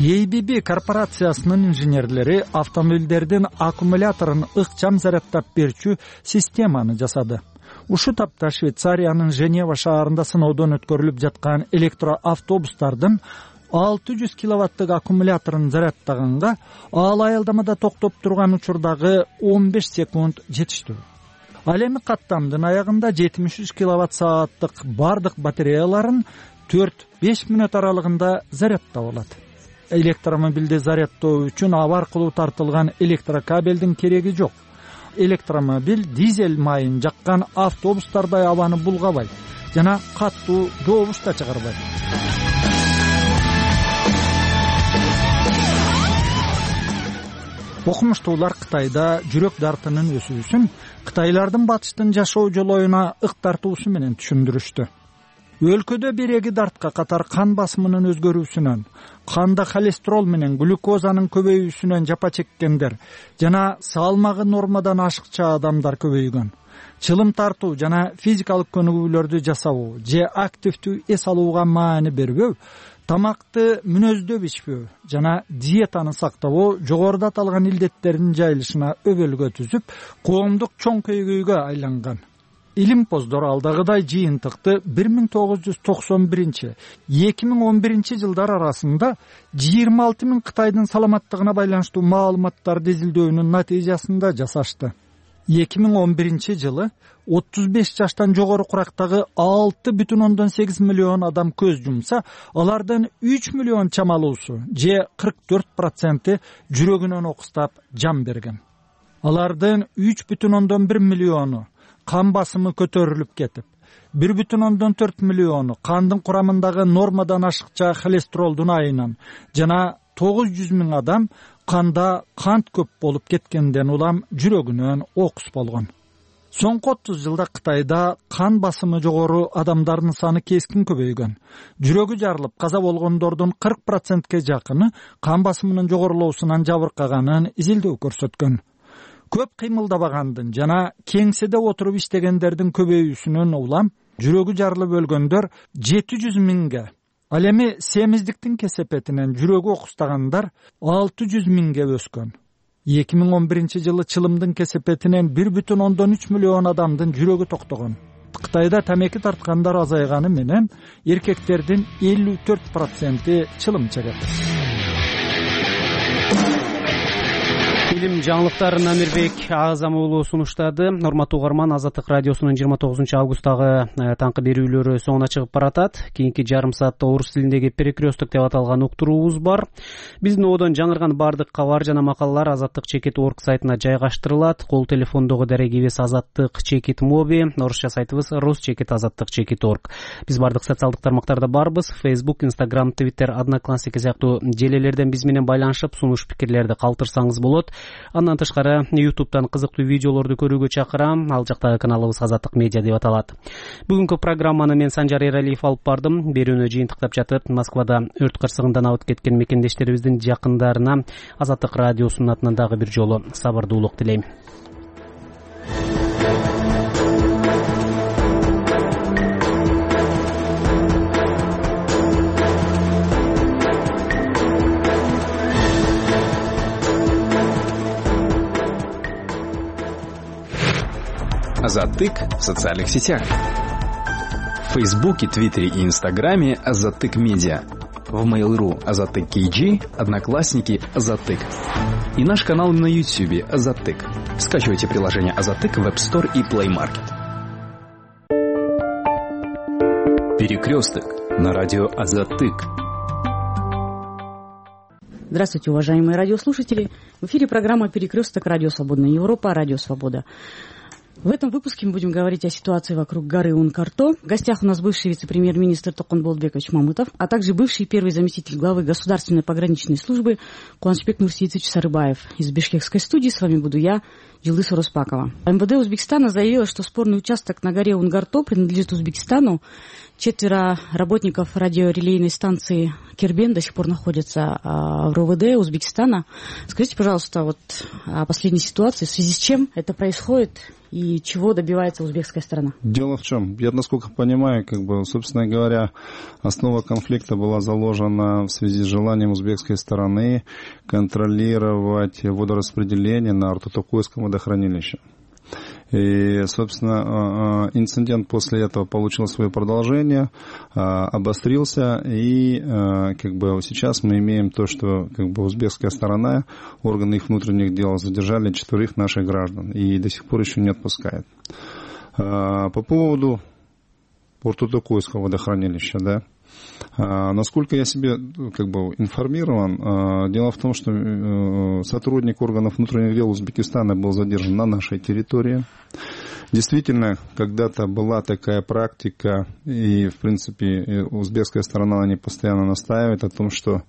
ABB корпорациясынын инженерлери автомобилдердин аккумуляторун ыкчам зарядтап берчү системаны жасады. Ушу тапта Швейцариянын Женева шаарында сыноодон өткөрүлүп жаткан электроавтобустардын 600 киловаттык аккумуляторун зарядтаганга ал аялдамада токтоп турган учурдагы 15 секунд жетиштүү. Ал эми каттамдын аягында 73 киловатт сааттык бардык батареяларын 4-5 мүнөт аралыгында зарядтап алат. Электромобилди зарядтоо үчүн аба аркылуу тартылган электрокабелдин кереги жок. Электромобиль дизель майын жаккан автобустардай абаны булгабайт жана каттуу добуш да чыгарбайт. Окумуштуулар Кытайда жүрөк дартынын өсүүсүн кытайлардын батыштын жашоо жолоюна ык тартуусу менен түшүндүрүштү. Өлкөдө биреги дартка катар кан басымынын өзгөрүүсүнөн, канда холестерол менен глюкозанын көбөйүүсүнөн жапа чеккендер жана салмагы нормадан ашыкча адамдар көбөйгөн. Чылым тартуу жана физикалык көнүгүүлөрдү жасабоо же активдүү эс алууга маани бербөө, тамакты мүнөздөп ичпөө жана диетаны сактабоо жогоруда аталган илдеттердин жайылышына өбөлгө түзүп, коомдук чоң көйгөйгө айланган. Илимпоздор алдагыдай жыйынтыкты 1991-2011 жылдар арасында 26 000 Кытайдын саламаттыгына байланыштуу маалыматтарды изилдөөнүн натыйжасында жасашты. 2011 жылы 35 жаштан жогору курактагы 6,8 миллион адам көз жумса, алардын 3 миллион чамалуусу же 44% жүрөгүнөн окустап жан берген. Алардын 3,1 миллиону кан басымы көтөрүлүп кетип, 1,4 миллиону кандын курамындагы нормадан ашыкча холестеролдун айынан жана 900 000 адам канда кант көп болуп кеткенден улам жүрөгүнөн окус болгон. Соңку 30 жылда Кытайда кан басымы жогору адамдардын саны кескин көбөйгөн. Жүрөгү жарылып каза болгондордун 40%ке жакыны кан басымынын жогорулоосунан жабыркаганын изилдөө көрсөткөн. Көп кыймылдабагандын жана кеңседе отуруп иштегендердин көбөйүүсүнөн улам жүрөгү жарылып өлгөндөр 700 000ге, ал эми семиздиктин кесепетинен жүрөгү окустагандар 600 000ге өскөн. 2011 жылы чылымдын кесепетинен 1,3 миллион адамдын жүрөгү токтогон. Кытайда тамеки тарткандар азайганы менен эркектердин 54% чылым чегет. билим жаңылыктарын Амирбек Азам уулу сунуштады. Урматтуу угарман, Азаттык радиосунун 29 августтагы таңкы берүүлөрү соңуна чыгып баратат. Кийинки жарым саатта орус тилиндеги перекресток деп аталган уктуруубуз бар. Биздин одон жаңырган баардык кабар жана макалалар Азаттык Чекит.орг сайтына жайгаштырылат. Кол телефондогу дарегибиз Азаттык Чекит моби, орусча сайтыбыз ruschekit.azattik.org. Биз баардык социалдык тармактарда барбыз. Facebook, Instagram, Twitter, Одноклассники сыяктуу желелерден биз менен байланышып сунуш пикирлерди калтырсаңыз болот. Андан тышкары YouTube'дан кызыктуу видеолорду көрүүгө чакырам. Ал жактагы каналыбыз Азаттык медиа деп аталат. Бүгүнкү программаны мен Санжар Эралиев алып бардым. Берүүнү жыйынтыктап жатып, Москвада өрт кырсыгынан абыт кеткен мекендештерибиздин жакындарына Азаттык радиосунун атынан дагы бир жолу сабырдуулук тилейм. Азаттык в социальных сетях. В Фейсбуке, Твиттере и Инстаграме Азаттык Медиа. В Mail.ru Азаттык KG, Одноклассники Азаттык. И наш канал на YouTube Азаттык. Скачивайте приложение Азаттык в App Store и Play Market. Перекресток на радио Азаттык. Здравствуйте, уважаемые радиослушатели. В эфире программа «Перекресток», радио «Свободная Европа», радио «Свобода». В этом выпуске мы будем говорить о ситуации вокруг горы Ункарто. В гостях у нас бывший вице-премьер-министр Токон Болотбекович Мамытов, а также бывший первый заместитель главы Государственной пограничной службы Куланчбек Нурсиевич Сарыбаев. Из бишкекской студии с вами буду я, Джилдыз Ороспакова. МВД Узбекистана заявила, что спорный участок на горе Унгарто принадлежит Узбекистану. 4 работников радиорелейной станции Кербен до сих пор находятся в РОВД Узбекистана. Скажите, пожалуйста, вот о последней ситуации, в связи с чем это происходит и чего добивается узбекская сторона? Дело в чем? Я, насколько понимаю, собственно говоря, основа конфликта была заложена в связи с желанием узбекской стороны контролировать водораспределение на Ортотокойском водохранилище. И, собственно, инцидент после этого получил свое продолжение, обострился, и сейчас мы имеем то, что узбекская сторона, органы их внутренних дел задержали 4 наших граждан и до сих пор еще не отпускает. По поводу Ортотокойского водохранилища, да. Насколько я себе информирован, дело в том, что сотрудник органов внутренних дел Узбекистана был задержан на нашей территории. Действительно, когда-то была такая практика, и, в принципе, узбекская сторона на ней постоянно настаивает о том, что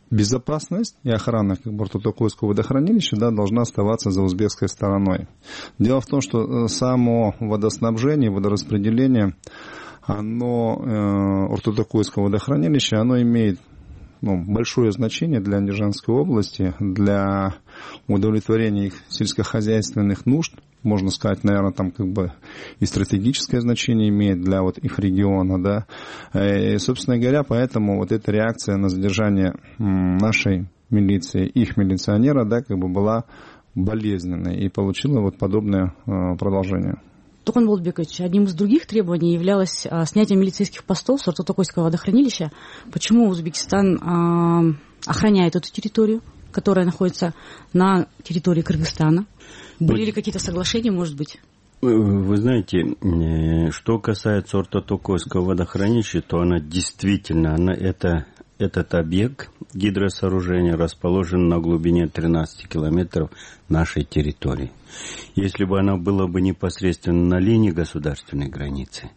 безопасность и охрана Ортотокойского водохранилища должна оставаться за узбекской стороной. Дело в том, что само водоснабжение, водораспределение, Ортотокойского водохранилища, оно имеет большое значение для Андижанской области, для удовлетворения их сельскохозяйственных нужд. Можно сказать, наверное, там и стратегическое значение имеет для их региона, да. И, собственно говоря, поэтому эта реакция на задержание нашей милиции, их милиционера, да, была болезненной и получила подобное продолжение. Токон Болотбекович, одним из других требований являлось снятие милицейских постов с Ортотокойского водохранилища. Почему Узбекистан охраняет эту территорию, которая находится на территории Кыргызстана? Были ли какие-то соглашения, может быть? Вы знаете, что касается Ортотокойского водохранилища, то она действительно, этот объект гидросооружения расположен на глубине 13 километров нашей территории. Если бы она была бы непосредственно на линии государственной границы,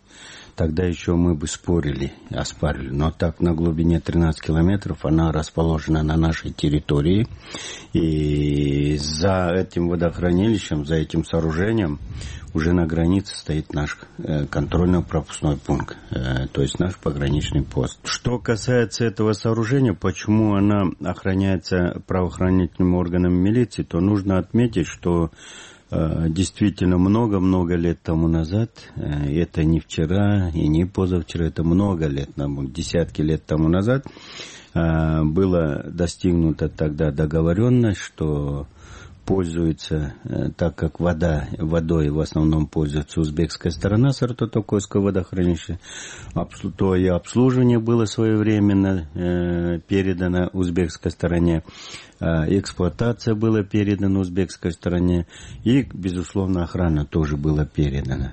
тогда еще мы бы оспаривали. Но так на глубине 13 километров она расположена на нашей территории. И за этим водохранилищем, за этим сооружением уже на границе стоит наш контрольно-пропускной пункт, то есть наш пограничный пост. Что касается этого сооружения, почему она охраняется правоохранительными органами милиции, то нужно отметить, что действительно много-много лет тому назад, это не вчера и не позавчера, это много лет, десятки лет тому назад, была достигнута тогда договоренность, что пользуется, так как водой в основном пользуется узбекская сторона Сарто-Токойского водохранилища, то и обслуживание было своевременно передано узбекской стороне, эксплуатация была передана узбекской стороне, и, безусловно, охрана тоже была передана.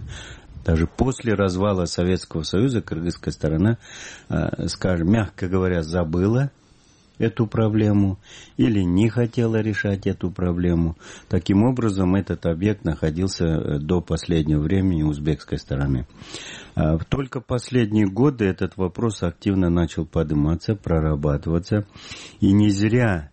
Даже после развала Советского Союза кыргызская сторона, скажем, мягко говоря, забыла эту проблему или не хотела решать эту проблему. Таким образом, этот объект находился до последнего времени у узбекской стороны. Только последние годы этот вопрос активно начал подниматься, прорабатываться. И не зря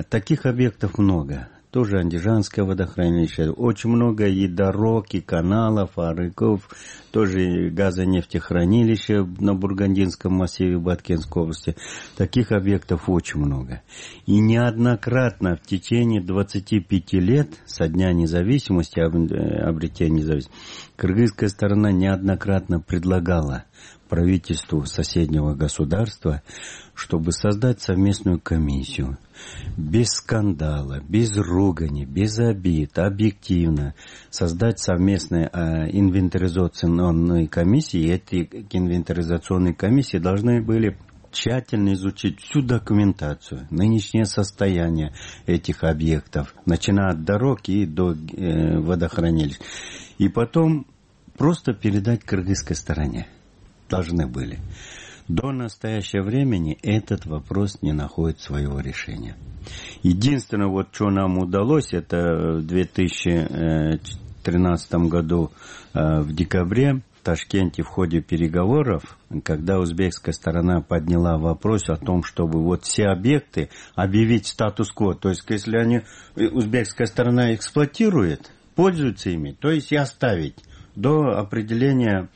таких объектов много. Тоже Андижанское водохранилище, очень много и дорог, и каналов, арыков, тоже и газонефтехранилища на Бургандинском массиве Баткенской области. Таких объектов очень много. И неоднократно в течение 25 лет со дня независимости, обретения независимости, кыргызская сторона неоднократно предлагала правительству соседнего государства, чтобы создать совместную комиссию. Без скандала, без ругани, без обид, объективно создать совместные инвентаризационные комиссии. И эти инвентаризационные комиссии должны были тщательно изучить всю документацию, нынешнее состояние этих объектов, начиная от дорог и до водохранилищ. И потом просто передать кыргызской стороне. Должны были. До настоящего времени этот вопрос не находит своего решения. Единственное, вот что нам удалось, это в 2013 году в декабре в Ташкенте в ходе переговоров, когда узбекская сторона подняла вопрос о том, чтобы вот все объекты объявить статус-кво, то есть если они, узбекская сторона эксплуатирует, пользуется ими, то есть и оставить до определения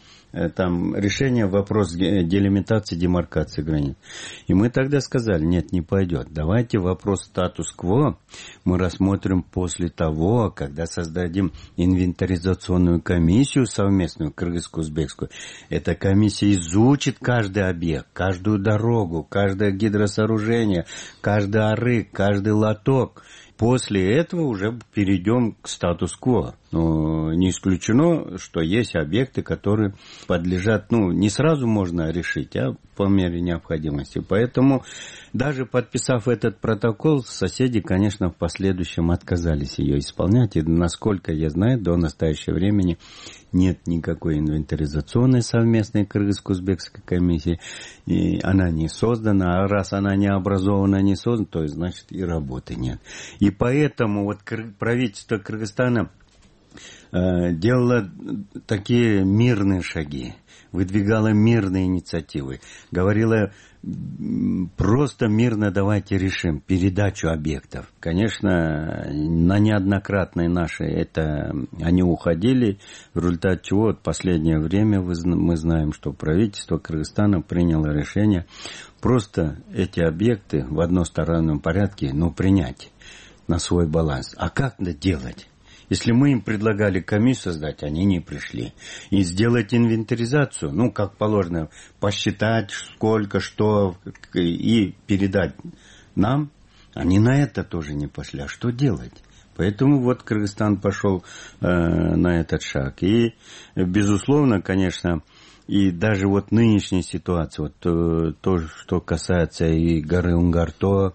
там решение вопрос делимитации, демаркации границ. И мы тогда сказали, нет, не пойдет. Давайте вопрос статус-кво мы рассмотрим после того, когда создадим инвентаризационную комиссию совместную, кыргызско-узбекскую. Эта комиссия изучит каждый объект, каждую дорогу, каждое гидросооружение, каждый арык, каждый лоток. После этого уже перейдем к статус-кво. Но не исключено, что есть объекты, которые подлежат, не сразу можно решить, а по мере необходимости. Поэтому, даже подписав этот протокол, соседи, конечно, в последующем отказались ее исполнять. И, насколько я знаю, до настоящего времени нет никакой инвентаризационной совместной кыргызско-узбекской комиссии. И она не создана. А раз она не образована, не создана, то есть, значит, и работы нет. И поэтому вот правительство Кыргызстана делала такие мирные шаги, выдвигала мирные инициативы, говорила просто мирно давайте решим передачу объектов. Конечно, на неоднократные наши они уходили, в результате чего в последнее время мы знаем, что правительство Кыргызстана приняло решение просто эти объекты в одностороннем порядке, принять на свой баланс. А как это делать? Если мы им предлагали комиссию создать, они не пришли. И сделать инвентаризацию, как положено, посчитать сколько, что, и передать нам, они на это тоже не пошли. А что делать? Поэтому вот Кыргызстан пошел на этот шаг. И, безусловно, конечно, и даже вот нынешняя ситуация, то, что касается и горы Унгарто,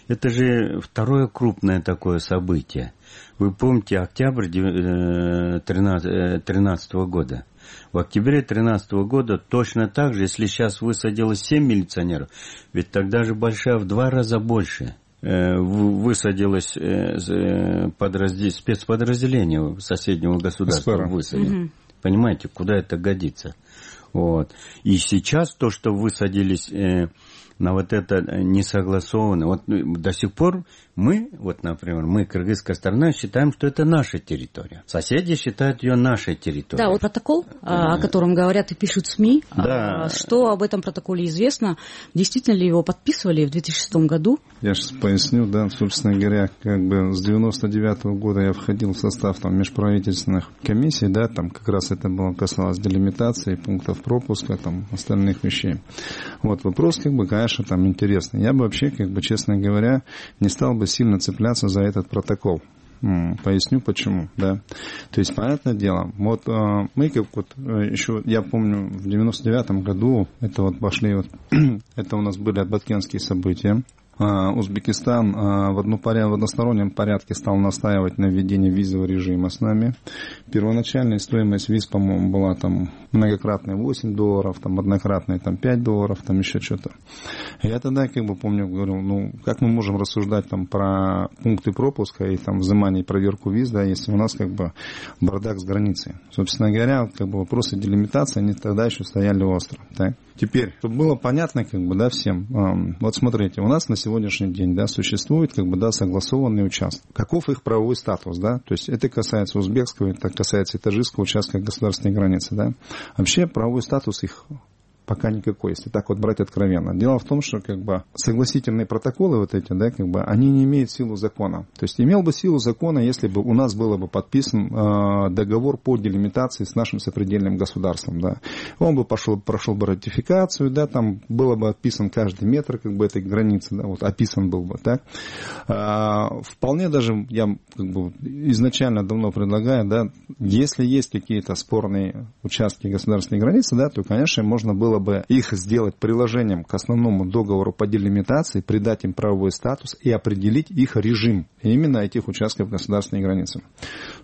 это же второе крупное такое событие. Вы помните октябрь 2013 года? В октябре 2013 года точно так же, если сейчас высадилось 7 милиционеров, ведь тогда же в 2 раза больше высадилось спецподразделение соседнего государства. Высадили. Понимаете, куда это годится? Вот. И сейчас то, что высадились на вот это несогласованно, до сих пор например, мы, кыргызская сторона, считаем, что это наша территория. Соседи считают ее нашей территорией. Да, протокол, о котором говорят и пишут СМИ. Да. Что об этом протоколе известно? Действительно ли его подписывали в 2006 году? Я сейчас поясню, собственно говоря, с 1999 года я входил в состав межправительственных комиссий, там как раз это касалось делимитации, пунктов пропуска, остальных вещей. Вопрос, конечно, дальше там интересно. Я бы вообще, как бы, честно говоря, не стал бы сильно цепляться за этот протокол. Поясню почему, да. То есть, понятное дело, вот мы как вот еще, я помню, в 99-м году, это вот пошли, вот, это у нас были баткенские события. Узбекистан в одностороннем порядке стал настаивать на введении визового режима с нами. Первоначальная стоимость виз, по-моему, была там многократная $8, там однократная там $5, там еще что-то. Я тогда, как бы, помню, говорил, ну, как мы можем рассуждать там про пункты пропуска и там взимание и проверку виз, да, если у нас, как бы, бардак с границей. Собственно говоря, как бы, вопросы делимитации, они тогда еще стояли остро, так? Теперь, чтобы было понятно, как бы, да, всем, вот смотрите, у нас на сегодняшний день, да, существует, как бы, да, согласованный участок. Каков их правовой статус, да? То есть это касается узбекского, это касается и таджикского участка государственной границы, да? Вообще правовой статус их пока никакой, если так вот брать откровенно. Дело в том, что, как бы, согласительные протоколы вот эти, да, как бы, они не имеют силу закона. То есть имел бы силу закона, если бы у нас было бы подписан договор по делимитации с нашим сопредельным государством, да. Он бы прошел бы ратификацию, да, там было бы описан каждый метр, как бы, этой границы, да, вот описан был бы, так. Вполне даже я, как бы, изначально давно предлагаю, да, если есть какие-то спорные участки государственной границы, да, то, конечно, можно было бы их сделать приложением к основному договору по делимитации, придать им правовой статус и определить их режим именно этих участков государственной границы.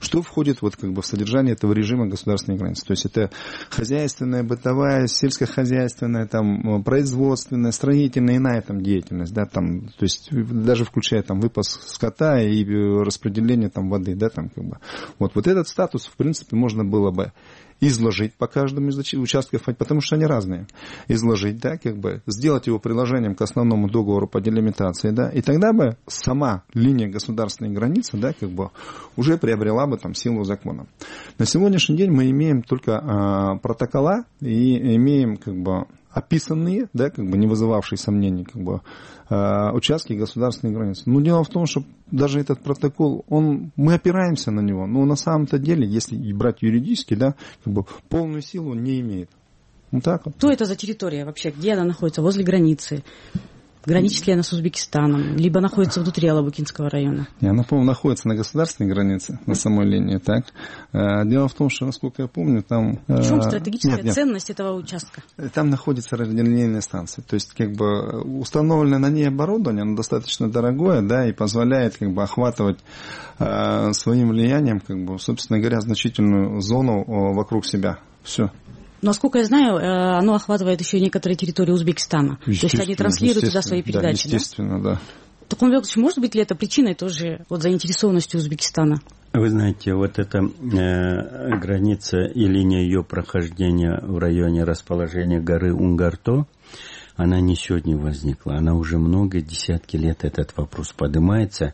Что входит вот, как бы, в содержание этого режима государственной границы? То есть это хозяйственная, бытовая, сельскохозяйственная, там, производственная, строительная, иная там деятельность, да, там, то есть даже включая там выпас скота и распределение там воды, да, там, как бы. Вот этот статус, в принципе, можно было бы изложить по каждому из участков, потому что они разные. Изложить, да, как бы, сделать его приложением к основному договору по делимитации, да, и тогда бы сама линия государственной границы, да, как бы, уже приобрела бы там силу закона. На сегодняшний день мы имеем только протокола и имеем, как бы, описанные, да, как бы, не вызывавшие сомнений, как бы, участки государственной границы. Но дело в том, что даже этот протокол, мы опираемся на него, но на самом-то деле, если брать юридически, да, как бы, полную силу он не имеет. Вот так вот. Что это за территория вообще? Где она находится? Возле границы? Граничит ли она с Узбекистаном? Либо находится внутри Алабукинского района? Она, по-моему, находится на государственной границе, на самой линии, так? Дело в том, что, насколько я помню, там... В чем стратегическая ценность этого участка? Там находится радиолинейная станция. То есть, как бы, установленное на ней оборудование, оно достаточно дорогое, да, и позволяет, как бы, охватывать своим влиянием, как бы, собственно говоря, значительную зону вокруг себя. Все. Насколько я знаю, оно охватывает еще и некоторые территории Узбекистана. То есть они транслируют туда свои передачи. Да, естественно, да. Таком случае, может быть ли это причиной тоже вот заинтересованности Узбекистана? Вы знаете, вот эта граница и линия ее прохождения в районе расположения горы Унгарто, она не сегодня возникла, она уже много, десятки лет этот вопрос поднимается.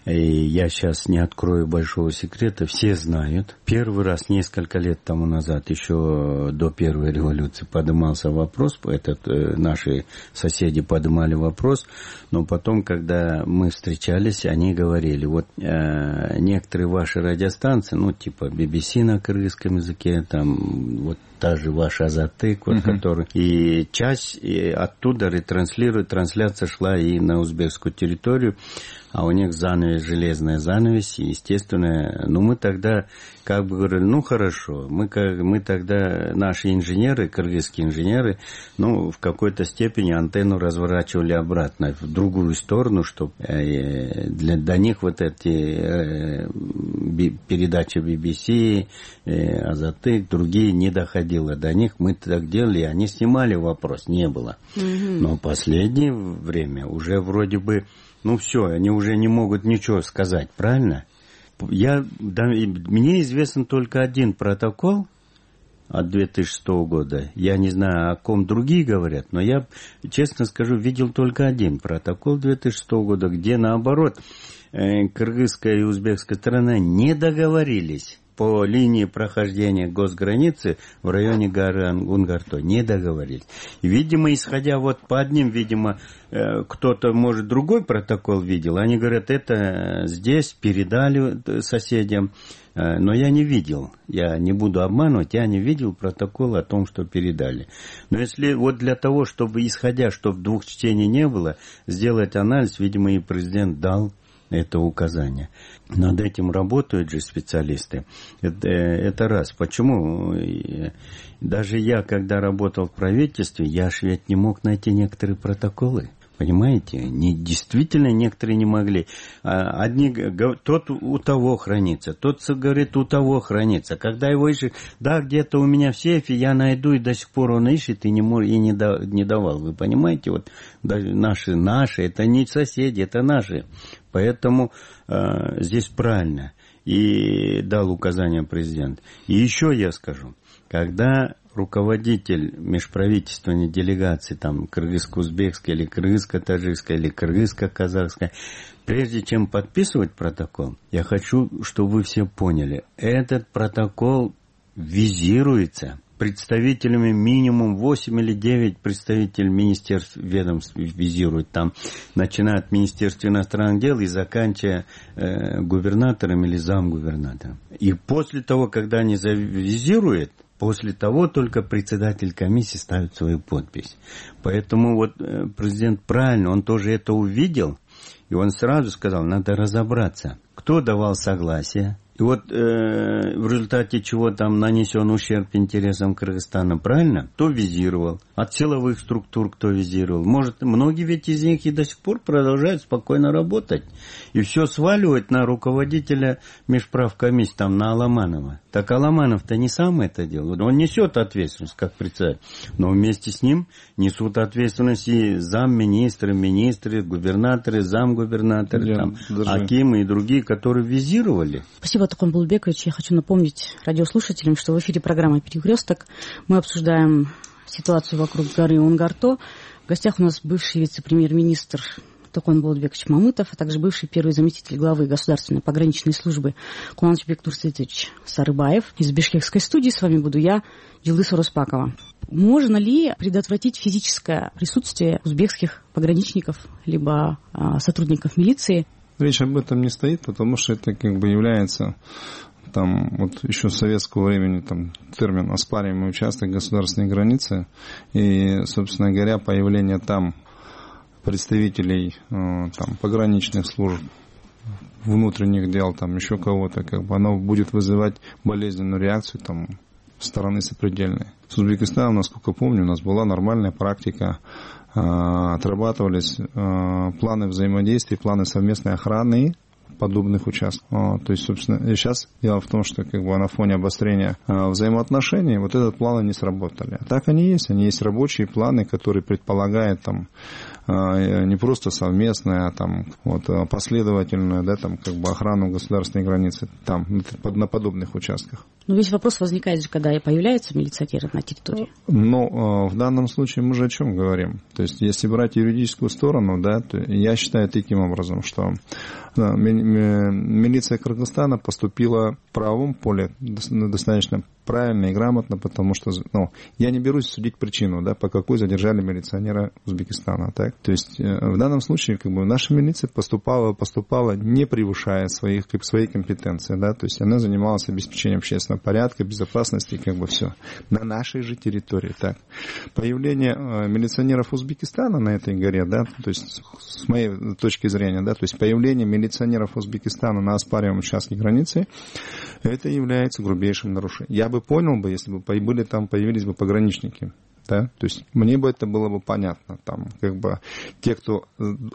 И я сейчас не открою большого секрета, все знают. Первый раз несколько лет тому назад, еще до первой революции, поднимался вопрос, наши соседи поднимали вопрос, но потом, когда мы встречались, они говорили, вот некоторые ваши радиостанции, ну типа BBC на кыргызском языке, там вот та же ваша Азаттык, вот, который, и часть оттуда ретранслирует, трансляция шла и на узбекскую территорию, а у них занавес, железная занавес, и, естественно, ну, мы тогда как бы говорили, ну, хорошо, мы тогда, наши инженеры, кыргызские инженеры, ну, в какой-то степени антенну разворачивали обратно, в другую сторону, чтобы до них вот эти передачи BBC, Азаттык, другие не доходило до них, мы так делали, они снимали вопрос, не было. Но в последнее время уже вроде бы, ну все, они уже не могут ничего сказать, правильно? Мне известен только один протокол от 2006 года. Я не знаю, о ком другие говорят, но я, честно скажу, видел только один протокол 2006 года, где наоборот кыргызская и узбекская сторона не договорились по линии прохождения госграницы в районе горы Унгарто не договорились. И, видимо, исходя вот по одним, видимо, кто-то, может, другой протокол видел. Они говорят, это здесь передали соседям. Но я не видел, я не буду обманывать, я не видел протокол о том, что передали. Но если вот для того, чтобы, исходя, чтобы двух чтений не было, сделать анализ, видимо, и президент дал это указание. Над этим работают же специалисты. Это раз. Почему? Даже я, когда работал в правительстве, я ж ведь не мог найти некоторые протоколы. Понимаете? Действительно, некоторые не могли. Одни говорят, тот у того хранится, тот говорит, у того хранится. Когда его ищет, да, где-то у меня в сейфе, я найду, и до сих пор он ищет, и не давал. Вы понимаете? Вот даже наши, это не соседи, это наши. Поэтому здесь правильно. И дал указание президент. И еще я скажу, когда руководитель межправительственной делегации, там, кыргызско-узбекской или кыргызско-таджикской или кыргызско-казахской, прежде чем подписывать протокол, я хочу, чтобы вы все поняли, этот протокол визируется представителями минимум 8 или 9 представителей министерств, ведомств визируют там, начиная от Министерства иностранных дел и заканчивая губернатором или замгубернатором. И после того, когда они завизируют, после того только председатель комиссии ставит свою подпись. Поэтому вот президент правильно, он тоже это увидел, и он сразу сказал, надо разобраться, кто давал согласие. И вот в результате чего там нанесен ущерб интересам Кыргызстана, правильно? Кто визировал? От силовых структур кто визировал? Может, многие ведь из них и до сих пор продолжают спокойно работать. И все сваливать на руководителя межправкомиссии, там, на Аламанова. Так Аламанов-то не сам это делал. Он несет ответственность, как председатель. Но вместе с ним несут ответственность и замминистры, министры, губернаторы, замгубернаторы, там, акимы и другие, которые визировали. Спасибо, Токон Булбекович. Я хочу напомнить радиослушателям, что в эфире программа «Перекресток». Мы обсуждаем ситуацию вокруг горы Унгарто. В гостях у нас бывший вице-премьер-министр Токон Булбекович Мамытов, а также бывший первый заместитель главы Государственной пограничной службы Куланычбек Турсетович Сарыбаев. Из бишкекской студии с вами буду я, Джилдыз Ороспакова. Можно ли предотвратить физическое присутствие узбекских пограничников либо сотрудников милиции? Речь об этом не стоит, потому что это как бы является там вот еще с советского времени там термин оспариваемый участок государственной границы. И, собственно говоря, появление там представителей там, пограничных служб, внутренних дел, там еще кого-то, как бы оно будет вызывать болезненную реакцию там стороны сопредельной. С Узбекистаном, насколько помню, у нас была нормальная практика, отрабатывались планы взаимодействия, планы совместной охраны подобных участков. То есть, собственно, сейчас дело в том, что как бы на фоне обострения взаимоотношений вот этот планы не сработали. А так они есть рабочие планы, которые предполагают там не просто совместное, а там вот последовательную, да, там как бы охрану государственной границы там на подобных участках. Но весь вопрос возникает же, когда появляются милиционеры на территории. Но в данном случае мы же о чем говорим? То есть, если брать юридическую сторону, да, то я считаю таким образом, что милиция Кыргызстана поступила в правовом поле достаточно правильно и грамотно, потому что я не берусь судить причину, да, по какой задержали милиционера Узбекистана. Так? То есть в данном случае как бы, наша милиция поступала не превышая своей компетенции. Да? То есть она занималась обеспечением общественного порядка, безопасности, как бы все. На нашей же территории. Так? Появление милиционеров Узбекистана на этой горе, да, то есть с моей точки зрения, да, то есть появление милиционеров Узбекистана на оспариваемом участке границы, это является грубейшим нарушением. Я бы понял бы, если бы появились бы пограничники. Да? То есть мне бы это было бы понятно. Там, как бы, те, кто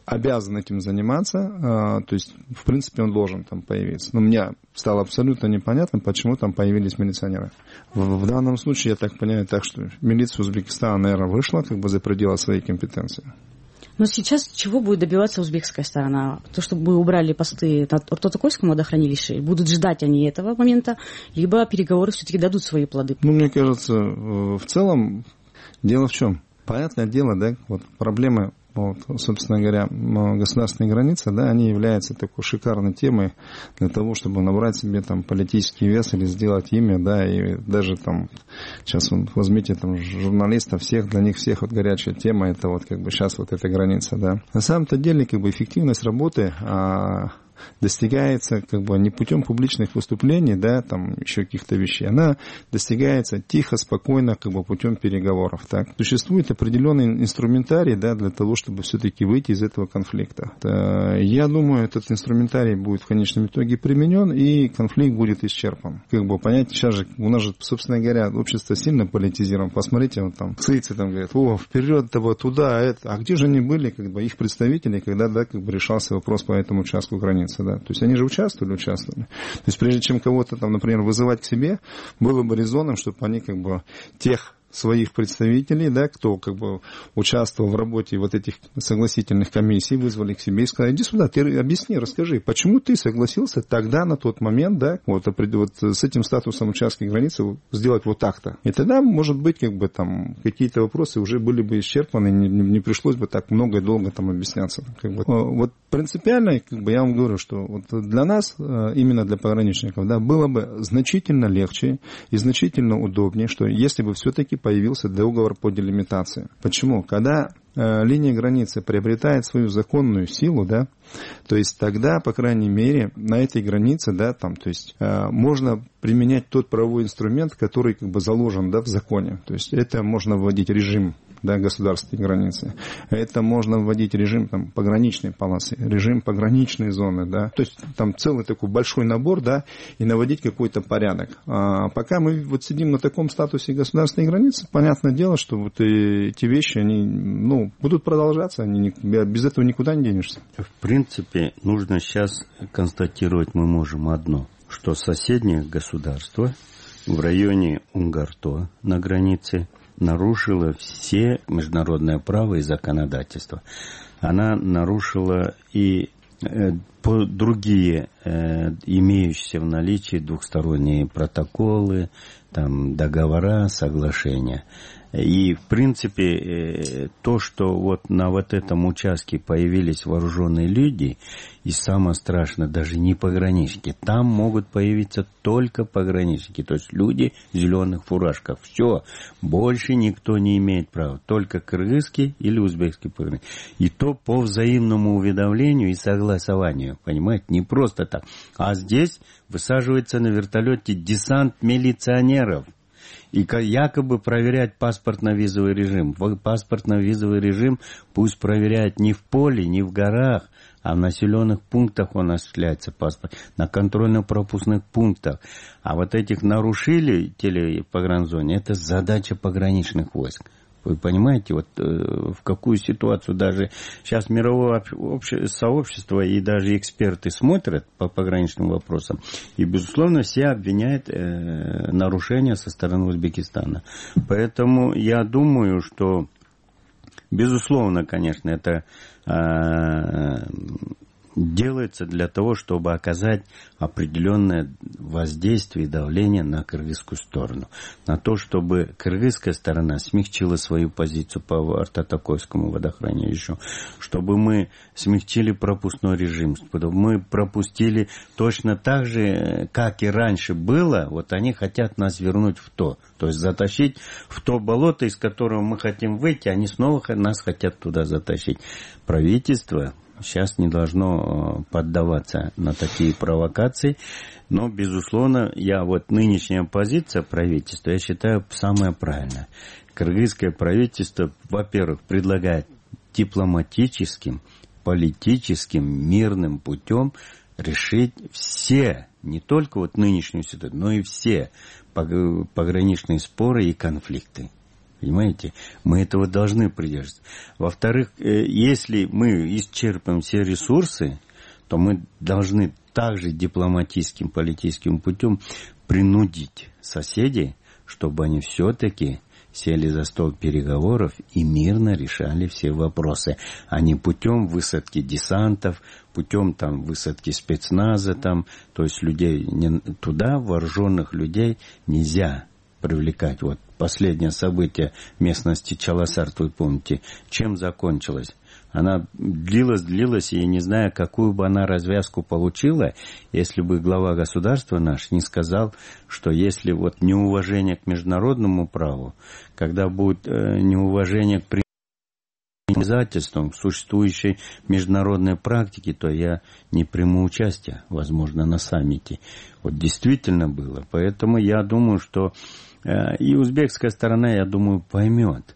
обязан этим заниматься, то есть, в принципе, он должен там появиться. Но мне стало абсолютно непонятно, почему там появились милиционеры. В данном случае, я так понимаю, так что милиция Узбекистана, наверное, вышла как бы за пределы своей компетенции. Но сейчас чего будет добиваться узбекская сторона? То, чтобы убрали посты на Ортотокойском водохранилище, будут ждать они этого момента, либо переговоры все-таки дадут свои плоды? Мне кажется, в целом дело в чем? Понятное дело, да, вот проблемы вот, собственно говоря, государственные границы, да, они являются такой шикарной темой для того, чтобы набрать себе там политический вес или сделать имя, да, и даже там, сейчас возьмите там журналистов, всех, для них всех вот горячая тема, это вот как бы сейчас вот эта граница, да. На самом-то деле, как бы эффективность работы достигается как бы не путем публичных выступлений, да, там еще каких-то вещей, она достигается тихо, спокойно, как бы путем переговоров. Так. Существует определенный инструментарий, да, для того, чтобы все-таки выйти из этого конфликта. Я думаю, этот инструментарий будет в конечном итоге применен, и конфликт будет исчерпан. Как бы понять, сейчас же у нас же, собственно говоря, общество сильно политизировано. Посмотрите, вот там сыйцы там говорят, вперед, вот туда, это. А где же они были, как бы их представители, когда, да, как бы решался вопрос по этому участку границы? Да. То есть они же участвовали. То есть прежде чем кого-то там, например, вызывать к себе, было бы резонным, чтобы они как бы тех своих представителей, да, кто как бы участвовал в работе вот этих согласительных комиссий, вызвали к себе и сказали, иди сюда, ты объясни, расскажи, почему ты согласился тогда, на тот момент, да, вот с этим статусом участка границы сделать вот так-то. И тогда, может быть, как бы там какие-то вопросы уже были бы исчерпаны, не пришлось бы так много и долго там объясняться. Как бы. Вот принципиально, как бы я вам говорю, что вот для нас, именно для пограничников, да, было бы значительно легче и значительно удобнее, что если бы все-таки появился договор по делимитации. Почему? Когда линия границы приобретает свою законную силу, да, то есть тогда, по крайней мере, на этой границе, да, там, то есть можно применять тот правовой инструмент, который как бы заложен, да, в законе. То есть это можно вводить режим, да, государственной границы. Это можно вводить режим там, пограничной полосы, режим пограничной зоны, да. То есть там целый такой большой набор, да, и наводить какой-то порядок. Пока мы вот сидим на таком статусе государственной границы, понятное дело, что вот эти вещи, они, ну, будут продолжаться, без этого никуда не денешься. В принципе, нужно сейчас констатировать мы можем одно, что соседнее государство в районе Унгарто на границе нарушила все международное право и законодательство. Она нарушила и другие имеющиеся в наличии двухсторонние протоколы, там, договора, соглашения. И, в принципе, то, что вот на вот этом участке появились вооруженные люди, и самое страшное, даже не пограничники, там могут появиться только пограничники, то есть люди в зеленых фуражках. Все, больше никто не имеет права, только кыргызский или узбекский пограничник. И то по взаимному уведомлению и согласованию, понимаете, не просто так. А здесь высаживается на вертолете десант милиционеров. И якобы проверять паспортно-визовый режим. Паспортно-визовый режим пусть проверяют не в поле, не в горах, а в населенных пунктах он осуществляется паспорт, на контрольно-пропускных пунктах. А вот этих нарушителей телепогранзоне, это задача пограничных войск. Вы понимаете, вот в какую ситуацию даже сейчас мировое сообщество и даже эксперты смотрят по пограничным вопросам. И, безусловно, все обвиняют нарушения со стороны Узбекистана. Поэтому я думаю, что, безусловно, конечно, это делается для того, чтобы оказать определенное воздействие и давление на кыргызскую сторону. На то, чтобы кыргызская сторона смягчила свою позицию по Артатакойскому водохранилищу, чтобы мы смягчили пропускной режим, чтобы мы пропустили точно так же, как и раньше было, вот они хотят нас вернуть в то. То есть затащить в то болото, из которого мы хотим выйти, они снова нас хотят туда затащить. Правительство сейчас не должно поддаваться на такие провокации, но, безусловно, нынешняя позиция правительства, я считаю, самая правильная. Кыргызское правительство, во-первых, предлагает дипломатическим, политическим, мирным путем решить все, не только вот нынешнюю ситуацию, но и все пограничные споры и конфликты. Понимаете? Мы этого должны придерживаться. Во-вторых, если мы исчерпаем все ресурсы, то мы должны также дипломатическим, политическим путем принудить соседей, чтобы они все-таки сели за стол переговоров и мирно решали все вопросы, а не путем высадки десантов, путем там высадки спецназа, там, то есть людей туда, вооруженных людей нельзя привлекать. Вот последнее событие в местности Чаласарт, вы помните, чем закончилось? Она длилась, и я не знаю, какую бы она развязку получила, если бы глава государства наш не сказал, что если вот неуважение к международному праву, когда будет неуважение к обязательствам, к существующей международной практике, то я не приму участие, возможно, на саммите. Вот действительно было. Поэтому я думаю, что и узбекская сторона, я думаю, поймет,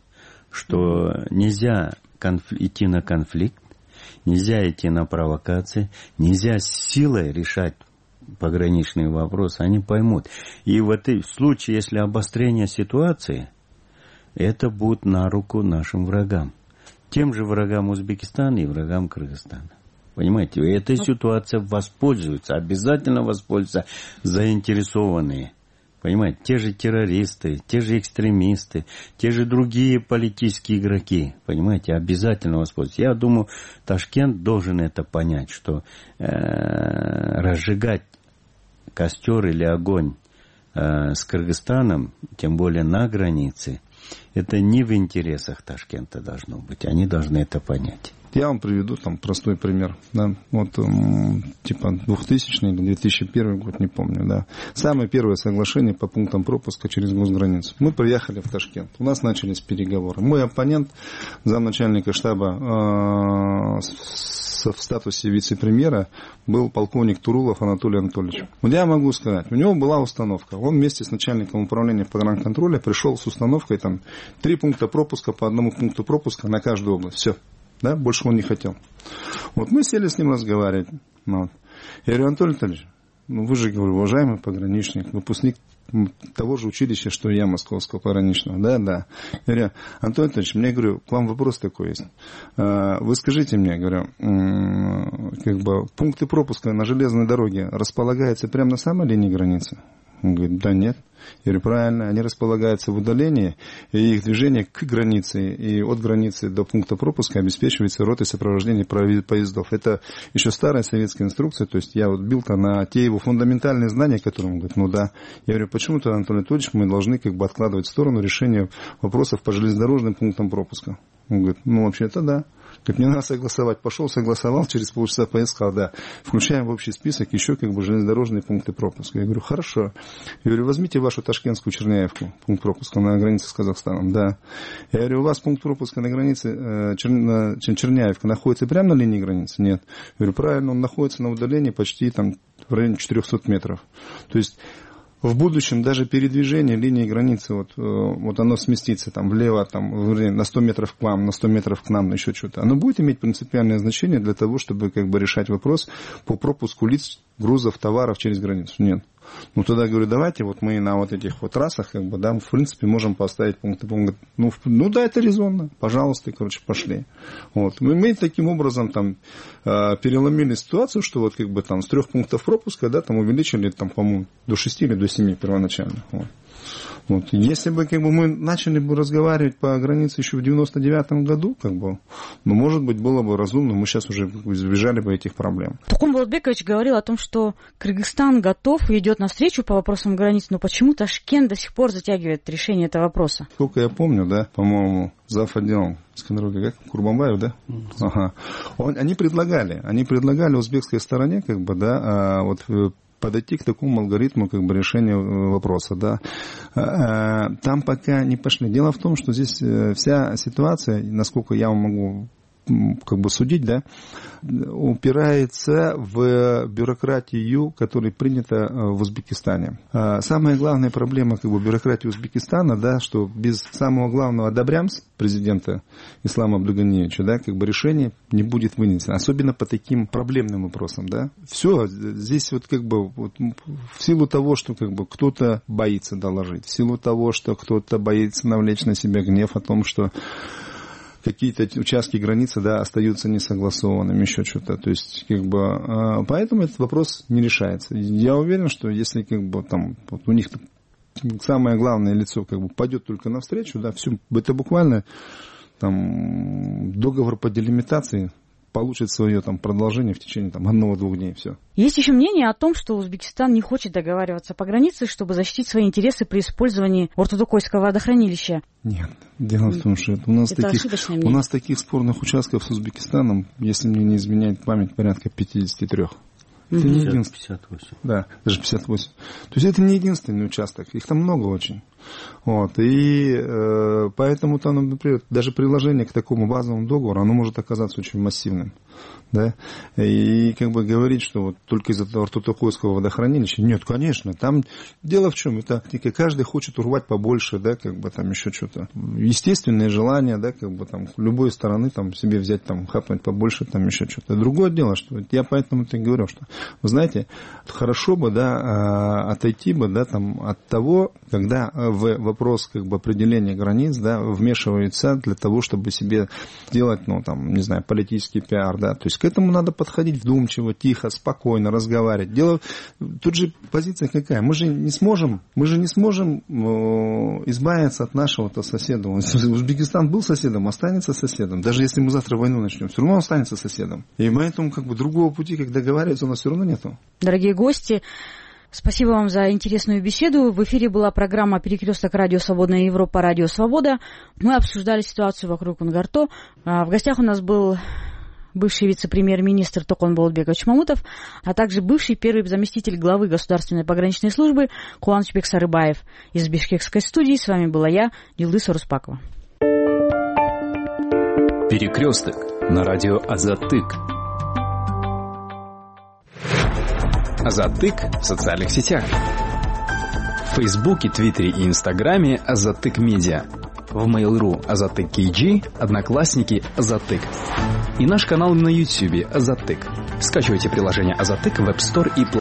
что нельзя идти на конфликт, нельзя идти на провокации, нельзя силой решать пограничные вопросы, они поймут. И в случае, если обострение ситуации, это будет на руку нашим врагам. Тем же врагам Узбекистана и врагам Кыргызстана. Понимаете, этой ситуацией воспользуются, обязательно воспользуются заинтересованные. Понимаете, те же террористы, те же экстремисты, те же другие политические игроки, понимаете, обязательно воспользуются. Я думаю, Ташкент должен это понять, что разжигать костер или огонь с Кыргызстаном, тем более на границе, это не в интересах Ташкента должно быть. Они должны это понять. Я вам приведу там простой пример. Да? Вот типа 2000 или 2001 год, не помню. Да? Самое первое соглашение по пунктам пропуска через госграницу. Мы приехали в Ташкент. У нас начались переговоры. Мой оппонент, замначальника штаба в статусе вице-премьера, был полковник Турулов Анатолий Анатольевич. Вот я могу сказать, у него была установка. Он вместе с начальником управления погранконтроля пришел с установкой там 3 пункта пропуска по 1 пункту пропуска на каждую область. Все. Да? Больше он не хотел. Вот мы сели с ним разговаривать. Вот. Я говорю, Анатолий Анатольевич, вы же, говорю, уважаемый пограничник, выпускник того же училища, что и я, московского пограничного. Да. Я говорю, Анатолий Анатольевич, мне, говорю, к вам вопрос такой есть. Вы скажите мне, говорю, пункты пропуска на железной дороге располагаются прямо на самой линии границы? Он говорит, да нет. Я говорю, правильно, они располагаются в удалении, и их движение к границе и от границы до пункта пропуска обеспечивается ротой сопровождения поездов. Это еще старая советская инструкция, то есть я вот бил-то на те его фундаментальные знания, которые он говорит, ну да. Я говорю, почему-то, Анатолий Анатольевич, мы должны откладывать в сторону решение вопросов по железнодорожным пунктам пропуска. Он говорит, вообще-то да. Как мне надо согласовать. Пошел, согласовал, через полчаса поискал, да. Включаем в общий список еще железнодорожные пункты пропуска. Я говорю, хорошо. Я говорю, возьмите вашу ташкентскую Черняевку, пункт пропуска на границе с Казахстаном, да. Я говорю, у вас пункт пропуска на границе Черняевка находится прямо на линии границы? Нет. Я говорю, правильно, он находится на удалении почти в районе 400 метров. То есть в будущем даже передвижение линии границы, вот оно сместится влево, на 100 метров к вам, на 100 метров к нам, на еще что-то. Оно будет иметь принципиальное значение для того, чтобы решать вопрос по пропуску лиц, грузов, товаров через границу. Нет. Тогда говорю, давайте мы на этих трассах, в принципе, можем поставить пункты. Он говорит, да, это резонно, пожалуйста, пошли. Мы таким образом переломили ситуацию, что с 3 пунктов пропуска, увеличили, по-моему, до 6 или до 7 первоначально. Если бы мы начали бы разговаривать по границе еще в 99 году, может быть, было бы разумно, мы сейчас уже избежали бы этих проблем. Тукум Болотбекович говорил о том, что Кыргызстан готов и идет навстречу по вопросам границ, но почему Ташкент до сих пор затягивает решение этого вопроса? Сколько я помню, по-моему, зав. Отделом Скандеровки, Курбанбаев, да? Ага. Они предлагали узбекской стороне, подойти к такому алгоритму решения вопроса, да. Там пока не пошли. Дело в том, что здесь вся ситуация, насколько я могу судить, да, упирается в бюрократию, которая принята в Узбекистане. Самая главная проблема бюрократии Узбекистана, да, что без самого главного одобрямс президента Ислама Абдуганиевича, да, решение не будет вынесено, особенно по таким проблемным вопросам, да. Все, здесь в силу того, что кто-то боится доложить, в силу того, что кто-то боится навлечь на себя гнев о том, что какие-то участки границы, да, остаются несогласованными, еще что-то. То есть, поэтому этот вопрос не решается. Я уверен, что если у них самое главное лицо пойдет только навстречу, да, все, это буквально договор по делимитации получит свое там продолжение в течение там 1-2 дней, все. Есть еще мнение о том, что Узбекистан не хочет договариваться по границе, чтобы защитить свои интересы при использовании Ортотокойского водохранилища. Нет, дело в том, что у нас таких спорных участков с Узбекистаном, если мне не изменяет память, порядка 53. Это не единственный. 58. Да, даже 58. То есть это не единственный участок, их там много очень. Вот. И поэтому там, например, даже приложение к такому базовому договору, оно может оказаться очень массивным. Да? И как бы говорить, что вот только из-за Ортотокойского водохранилища, нет, конечно, там дело в чем, это каждый хочет урвать побольше, да, как бы там еще что-то. Естественное желание, да, как бы там любой стороны там себе взять, там, хапнуть побольше, там еще что-то. Другое дело, что я поэтому-то и говорю, что, вы знаете, хорошо бы, да, отойти бы, да, там, от того, когда в вопрос как бы определения границ, да, вмешиваются для того, чтобы себе делать, ну, там, не знаю, политический пиар, да, то есть к этому надо подходить вдумчиво, тихо, спокойно разговаривать. Дело, тут же позиция какая? Мы же не сможем избавиться от нашего-то соседа. Узбекистан был соседом, останется соседом. Даже если мы завтра войну начнем, все равно он останется соседом. И поэтому как бы другого пути, как договариваться, у нас все равно нету. Дорогие гости, спасибо вам за интересную беседу. В эфире была программа «Перекресток. Радио Свободная Европа. Радио Свобода». Мы обсуждали ситуацию вокруг Унгарто. В гостях у нас был бывший вице-премьер-министр Токон Болотбекович Мамутов, а также бывший первый заместитель главы Государственной пограничной службы Кубанычбек Сарыбаев. Из бишкекской студии с вами была я, Юлдыз Оруспакова. Перекресток на радио Азаттык. Азаттык в социальных сетях. В Фейсбуке, Твиттере и Инстаграме Азаттык Медиа. В Mail.ru Азаттык KG, Одноклассники Азаттык. И наш канал на YouTube Азаттык. Скачивайте приложение Азаттык в App Store и Play.